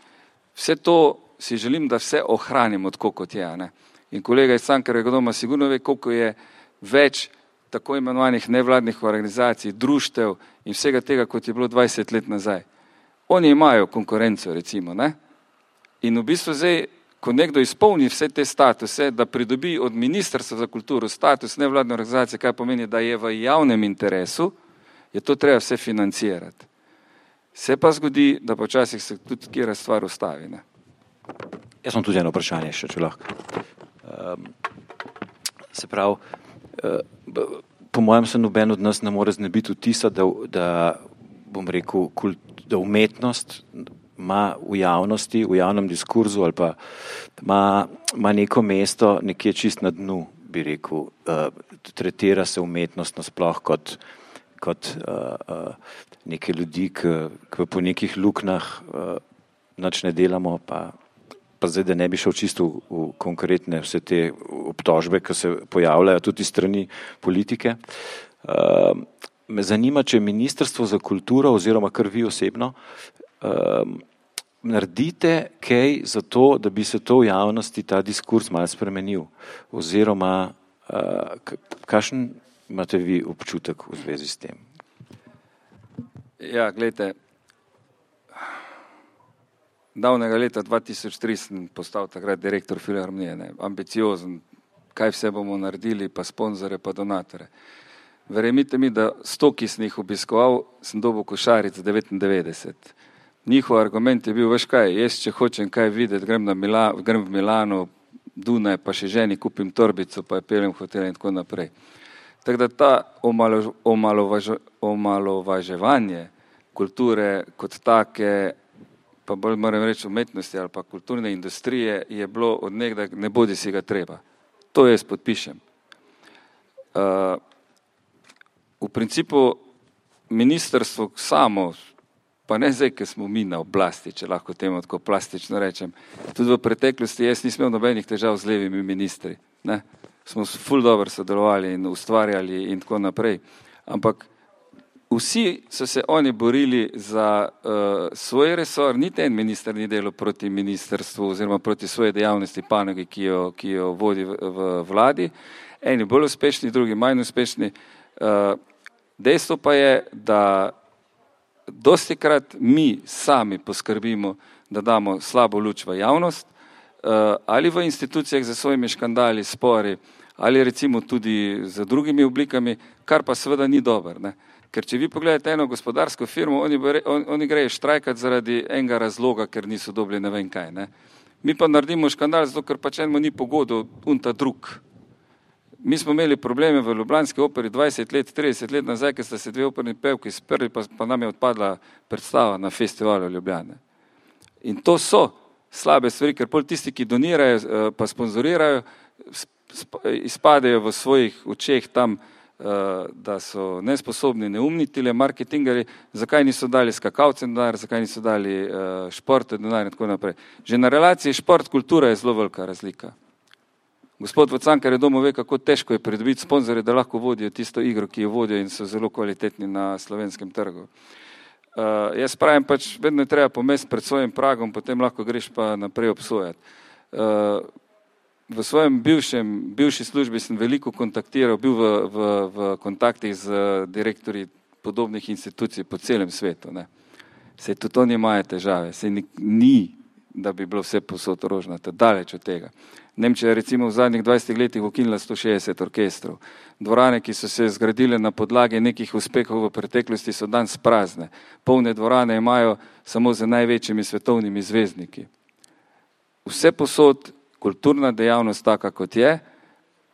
Vse to si želim, da vse ohranimo tako, kot je. Ne? In kolega iz Cankarjevega doma sigurno ve, koliko je več tako imenovanih nevladnih organizacij, društev in vsega tega, kot je bilo 20 let nazaj. Oni imajo konkurenco, recimo. Ne? In v bistvu zdaj, ko nekdo izpolni vse te statuse, da pridobi od Ministrstva za kulturo status nevladne organizacije, kaj pomeni, da je v javnem interesu, je to treba vse financirati. Se pa zgodi, da počasih se tudi kjera stvar ustavi. Ne? Jaz sem tudi eno vprašanje še, če lahko. Se pravi, po mojem se noben od nas ne more znebiti vtisa, da bom rekel, da umetnost ima v javnosti, v javnem diskurzu ali pa ima neko mesto nekje čist na dnu, bi rekel, tretira se umetnost nasploh kot neke ljudi, ki po nekih luknjah nič ne delamo, pa zdaj, da ne bi šel čisto v konkretne vse te obtožbe, ki se pojavljajo tudi strani politike. Me zanima, če Ministrstvo za kulturo oziroma kar vi osebno naredite kaj za to, da bi se to v javnosti ta diskurs malo spremenil, oziroma kakšen imate vi občutek v zvezi s tem? Ja, gledajte, davnega leta 2003 sem postal takrat direktor Filharmonije, ambiciozen, kaj vse bomo naredili, pa sponzore, pa donatore. Verjemite mi, da 100, ki sem jih obiskoval, sem dobil košaric 99. Njihov argument je bil, veš kaj, jaz če hočem kaj videti, grem v Milano, Dunaj, pa še ženi kupim torbico, pa je peljem v hotel in tako naprej. Tako da ta omalovaževanje kulture kot take, pa bolj moram reči umetnosti ali pa kulturne industrije, je bilo od nekdaj, ne bodi si ga treba. To jaz podpišem. V principu ministrstvo samo, pa ne zdaj, ker smo mi na oblasti, če lahko temu tako plastično rečem, tudi v preteklosti jaz nisem imel nobenih težav z levimi ministri. Ne? Smo ful dobro sodelovali in ustvarjali in tako naprej. Ampak vsi so se oni borili za svoj resor, niti en minister ni delal proti ministrstvu oziroma proti svoje dejavnosti panogi, ki jo vodi v vladi. Eni bolj uspešni, drugi manj uspešni. Dejstvo pa je, da dostikrat mi sami poskrbimo, da damo slabo luč v javnost, ali v institucijah za svojimi škandali, spori, ali recimo tudi z drugimi oblikami, kar pa seveda ni dobro. Ne? Ker če vi pogledate eno gospodarsko firmo, oni grejo štrajkati zaradi enega razloga, ker niso dobili ne vem kaj. Ne? Mi pa naredimo škandal, zato ker pač enemu ni pogodo unta drug. Mi smo imeli probleme v ljubljanski operi 20 let, 30 let nazaj, ker sta se dve operni pevki sprli, pa nam je odpadla predstava na festivalu Ljubljane. In to so slabe stvari, ker pol tisti, ki donirajo, pa sponzorirajo, izpadejo v svojih očeh tam, da so nesposobni, neumni tile marketingari, zakaj niso dali skakalcem denar, zakaj niso dali športe denar in tako naprej. Že na relaciji šport-kultura je zelo velika razlika. Gospod Vacankar je doma ve, kako težko je pridobiti sponzorje, da lahko vodijo tisto igro, ki jo vodijo in so zelo kvalitetni na slovenskem trgu. Jaz pravim pač, vedno je treba pomesti pred svojim pragom, potem lahko greš pa naprej obsojati. V svojem bivši službi sem veliko kontaktiral, bil v kontaktih z direktorji podobnih institucij po celem svetu. Ne. Sej tudi oni imajo težave, sej ni, da bi bilo vse posod rožnato, daleč od tega. Nemčija je recimo v zadnjih 20 letih ukinila 160 orkestrov. Dvorane, ki so se zgradile na podlagi nekih uspehov v preteklosti, so danes prazne. Polne dvorane imajo samo z največjimi svetovnimi zvezdniki. Vse posod kulturna dejavnost taka, kot je,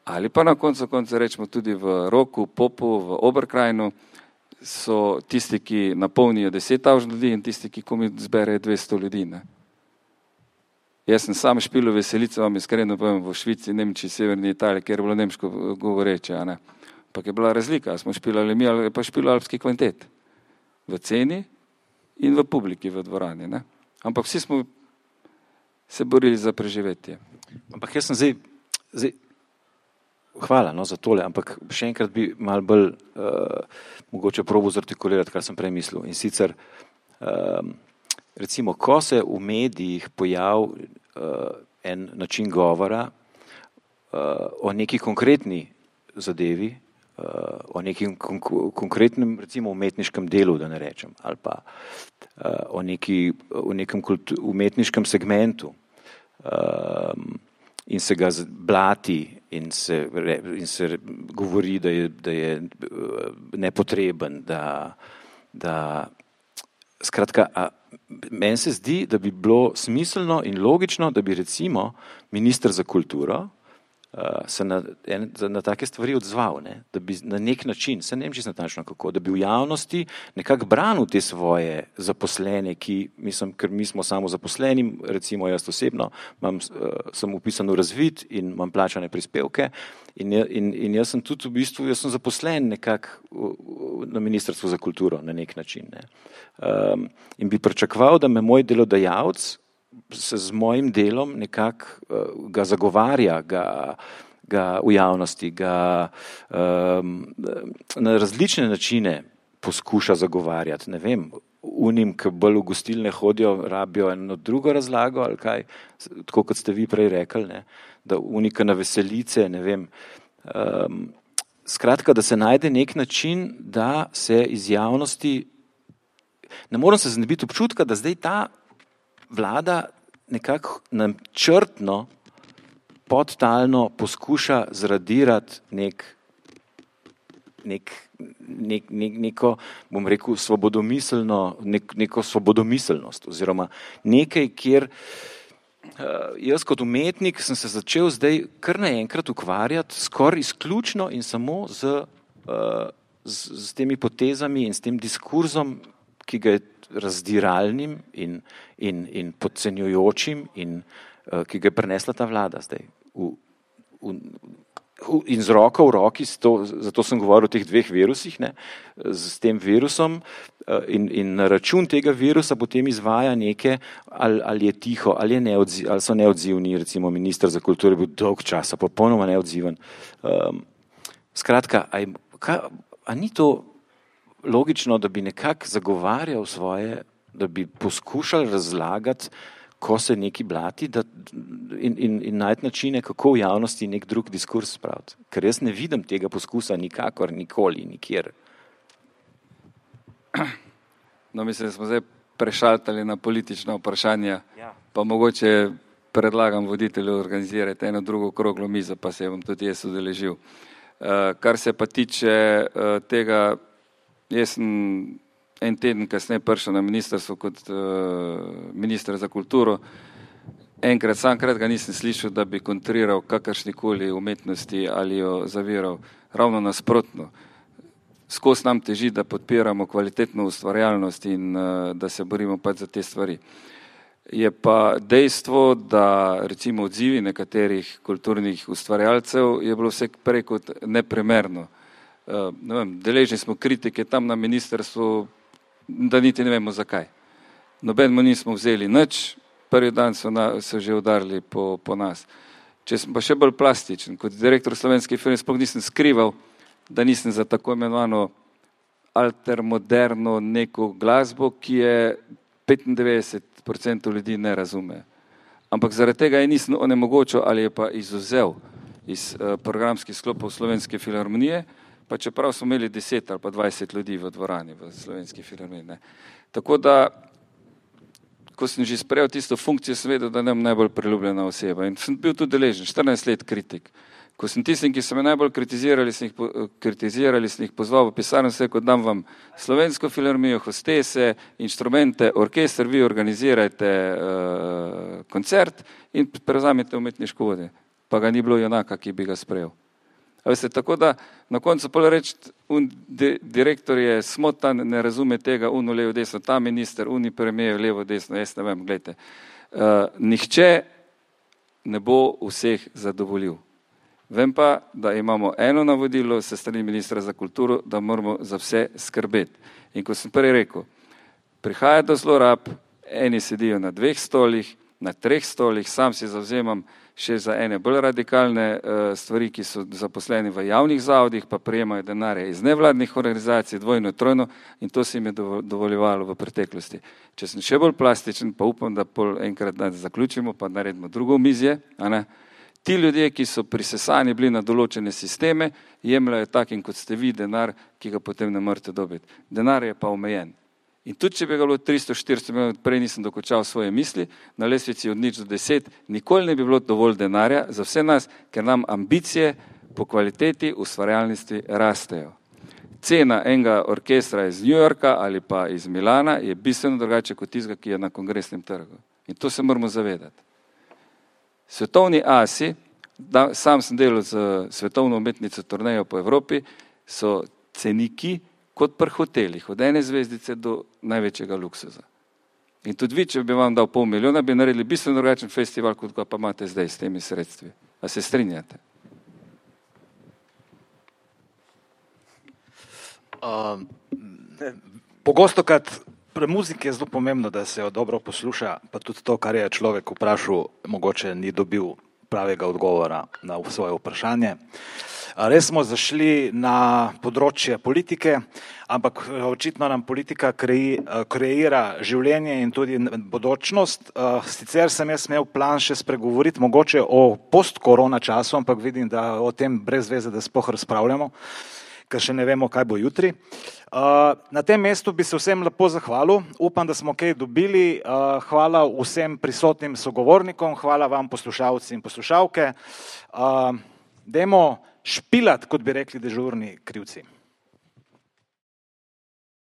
ali pa na koncu rečemo tudi v Roku, Popu, v Oberkrajnu, so tisti, ki napolnijo 10.000 ljudi in tisti, ki komi zberejo 200 ljudi. Ne? Jaz sem sam špil v Veselico, vam iskreno povem, v Švici, Nemčiji, Severni Italiji, kjer je bilo nemško govoreče. Ampak je bila razlika, smo špilali mi ali pa špil alpski kvintet. V ceni in v publiki v dvorani. Ne? Ampak vsi smo se borili za preživetje. Ampak jaz sem zdaj hvala za tole, ampak še enkrat bi malo bolj mogoče probo zartikulirati, kar sem prej mislil. In sicer recimo, ko se v medijih pojav en način govora o neki konkretni zadevi, o nekim konkretnem recimo umetniškem delu, da ne rečem, ali pa o nekem umetniškem segmentu in se ga blati in se govori, da je nepotreben, da skratka, meni se zdi, da bi bilo smiselno in logično, da bi recimo minister za kulturo se na take stvari odzval, ne? Da bi na nek način, se ne vem čisto natančno kako, da bi v javnosti nekako branil te svoje zaposlene, ker mi smo samo zaposleni, recimo jaz osebno, sem upisan v razvid in imam plačane prispevke in jaz sem tudi v bistvu, jaz sem zaposlen nekako na Ministrstvu za kulturo na nek način, ne? In bi pričakoval, da me moj delodajalec se z mojim delom nekako ga zagovarja, ga v javnosti, ga na različne načine poskuša zagovarjati, ne vem, unim, ki bolj v gostilne hodijo, rabijo eno drugo razlago ali kaj, tako kot ste vi prej rekli, ne, da unika na veselice, ne vem. Skratka, da se najde nek način, da se iz javnosti, ne morem se znebiti občutka, da zdaj ta vlada nekako načrtno, podtalno poskuša zradirati neko, bom rekel, neko svobodomiselnost oziroma nekaj, kjer jaz kot umetnik sem se začel zdaj kar naenkrat ukvarjati skoraj izključno in samo z temi potezami in s tem diskurzom, ki ga je razdiralnim in podcenjujočim in ki ga je prinesla ta vlada zdaj. In z roko v roki, zato sem govoril o teh dveh virusih, ne, s tem virusom in na račun tega virusa potem izvaja neke, ali je tiho, ali so neodzivni, recimo minister za kulturo je bil dolg časa, popolnoma neodziven. Skratka, a ni to logično, da bi nekako zagovarjal svoje, da bi poskušal razlagati, ko se neki blati in najti načine, kako v javnosti nek drug diskurs spraviti. Ker jaz ne vidim tega poskusa nikakor, nikoli, nikjer. No, mislim, da smo zdaj prešaltali na politična vprašanja, pa mogoče predlagam voditelju organizirati eno drugo okroglo mizo, pa se bom tudi jaz udeležil. Kar se pa tiče tega, jaz sem en teden kasneje prišel na ministrstvo kot minister za kulturo. Samkrat ga nisem slišal, da bi kontriral kakršnikoli umetnosti ali jo zaviral. Ravno nasprotno. Skozi nam teži, da podpiramo kvalitetno ustvarjalnost in da se borimo pač za te stvari. Je pa dejstvo, da recimo odzivi nekaterih kulturnih ustvarjalcev je bilo vse prej kot neprimerno. Ne vem, deležni smo kritike tam na ministrstvu, da niti ne vemo zakaj. Nobenemu nismo vzeli nič, prvi dan so že udarili po nas. Če sem pa še bolj plastičen, kot direktor Slovenske filme sploh nisem skrival, da nisem za tako imenovano altermoderno neko glasbo, ki je 95% ljudi ne razume. Ampak zaradi tega je nisem onemogočil ali je pa izuzel iz programskih sklopov Slovenske filharmonije, pa čeprav smo imeli 10 ali pa 20 ljudi v dvorani v Slovenski filharmoniji. Tako da, ko sem že sprejel tisto funkcijo, sem vedel, da nem najbolj priljubljena oseba in sem bil tudi deležen, 14 let kritik. Ko sem tistim, ki so me najbolj kritizirali, sem jih pozval v pisarno, se kot dam vam Slovensko filharmonijo, hostese, inštrumente, orkester, vi organizirajte koncert in prevzamete umetniško vodje. Pa ga ni bilo junaka, ki bi ga sprejel. Veste, tako da na koncu pol reči, direktor je smotan, ne razume tega, uno levo desno, ta minister, uni premijer levo desno, jaz ne vem, gledajte. Nihče ne bo vseh zadovoljil. Vem pa, da imamo eno navodilo se strani ministra za kulturo, da moramo za vse skrbeti. In ko sem prej rekel, prihaja do zlorab, eni sedijo na 2 stolih, na 3 stolih, sam si zavzemam še za ene bolj radikalne stvari, ki so zaposleni v javnih zavodih, pa prejemajo denarje iz nevladnih organizacij, dvojno, trojno, in to se jim je dovoljevalo v preteklosti. Če sem še bolj plastičen, pa upam, da pol enkrat zaključimo, pa naredimo drugo omizje, a ne? Ti ljudje, ki so prisesani bili na določene sisteme, jemljajo takim, kot ste vi, denar, ki ga potem ne morete dobiti. Denar je pa omejen. In tudi, če bi ga bilo 300-400 milijonov, prej nisem dokončal svoje misli, na lestvici od 0 do 10, nikoli ne bi bilo dovolj denarja za vse nas, ker nam ambicije po kvaliteti ustvarjalnosti rastejo. Cena enega orkestra iz New Yorka ali pa iz Milana je bistveno drugače kot tistega, ki je na kongresnem trgu. In to se moramo zavedati. Svetovni asi sam sem delal z svetovno umetnico turnejo po Evropi, so ceniki kot pri hotelih, od 1 zvezdice do največjega luksuza. In tudi vi, če bi vam dal 500 000, bi naredili bistveno drugačen festival, kot ga pa imate zdaj s temi sredstvi. A se strinjate? Pogostokrat pri muziki je zelo pomembno, da se jo dobro posluša, pa tudi to, kar je človek vprašal, mogoče ni dobil pravega odgovora na svoje vprašanje. Res smo zašli na področje politike, ampak očitno nam politika kreira življenje in tudi bodočnost. Sicer sem jaz imel plan še spregovoriti mogoče o post-korona času, ampak vidim, da o tem brez veze, da sploh razpravljamo, ker še ne vemo, kaj bo jutri. Na tem mestu bi se vsem lepo zahvalil, upam, da smo kaj dobili. Hvala vsem prisotnim sogovornikom, hvala vam poslušalci in poslušalke. Dajmo špilat, kot bi rekli dežurni krivci.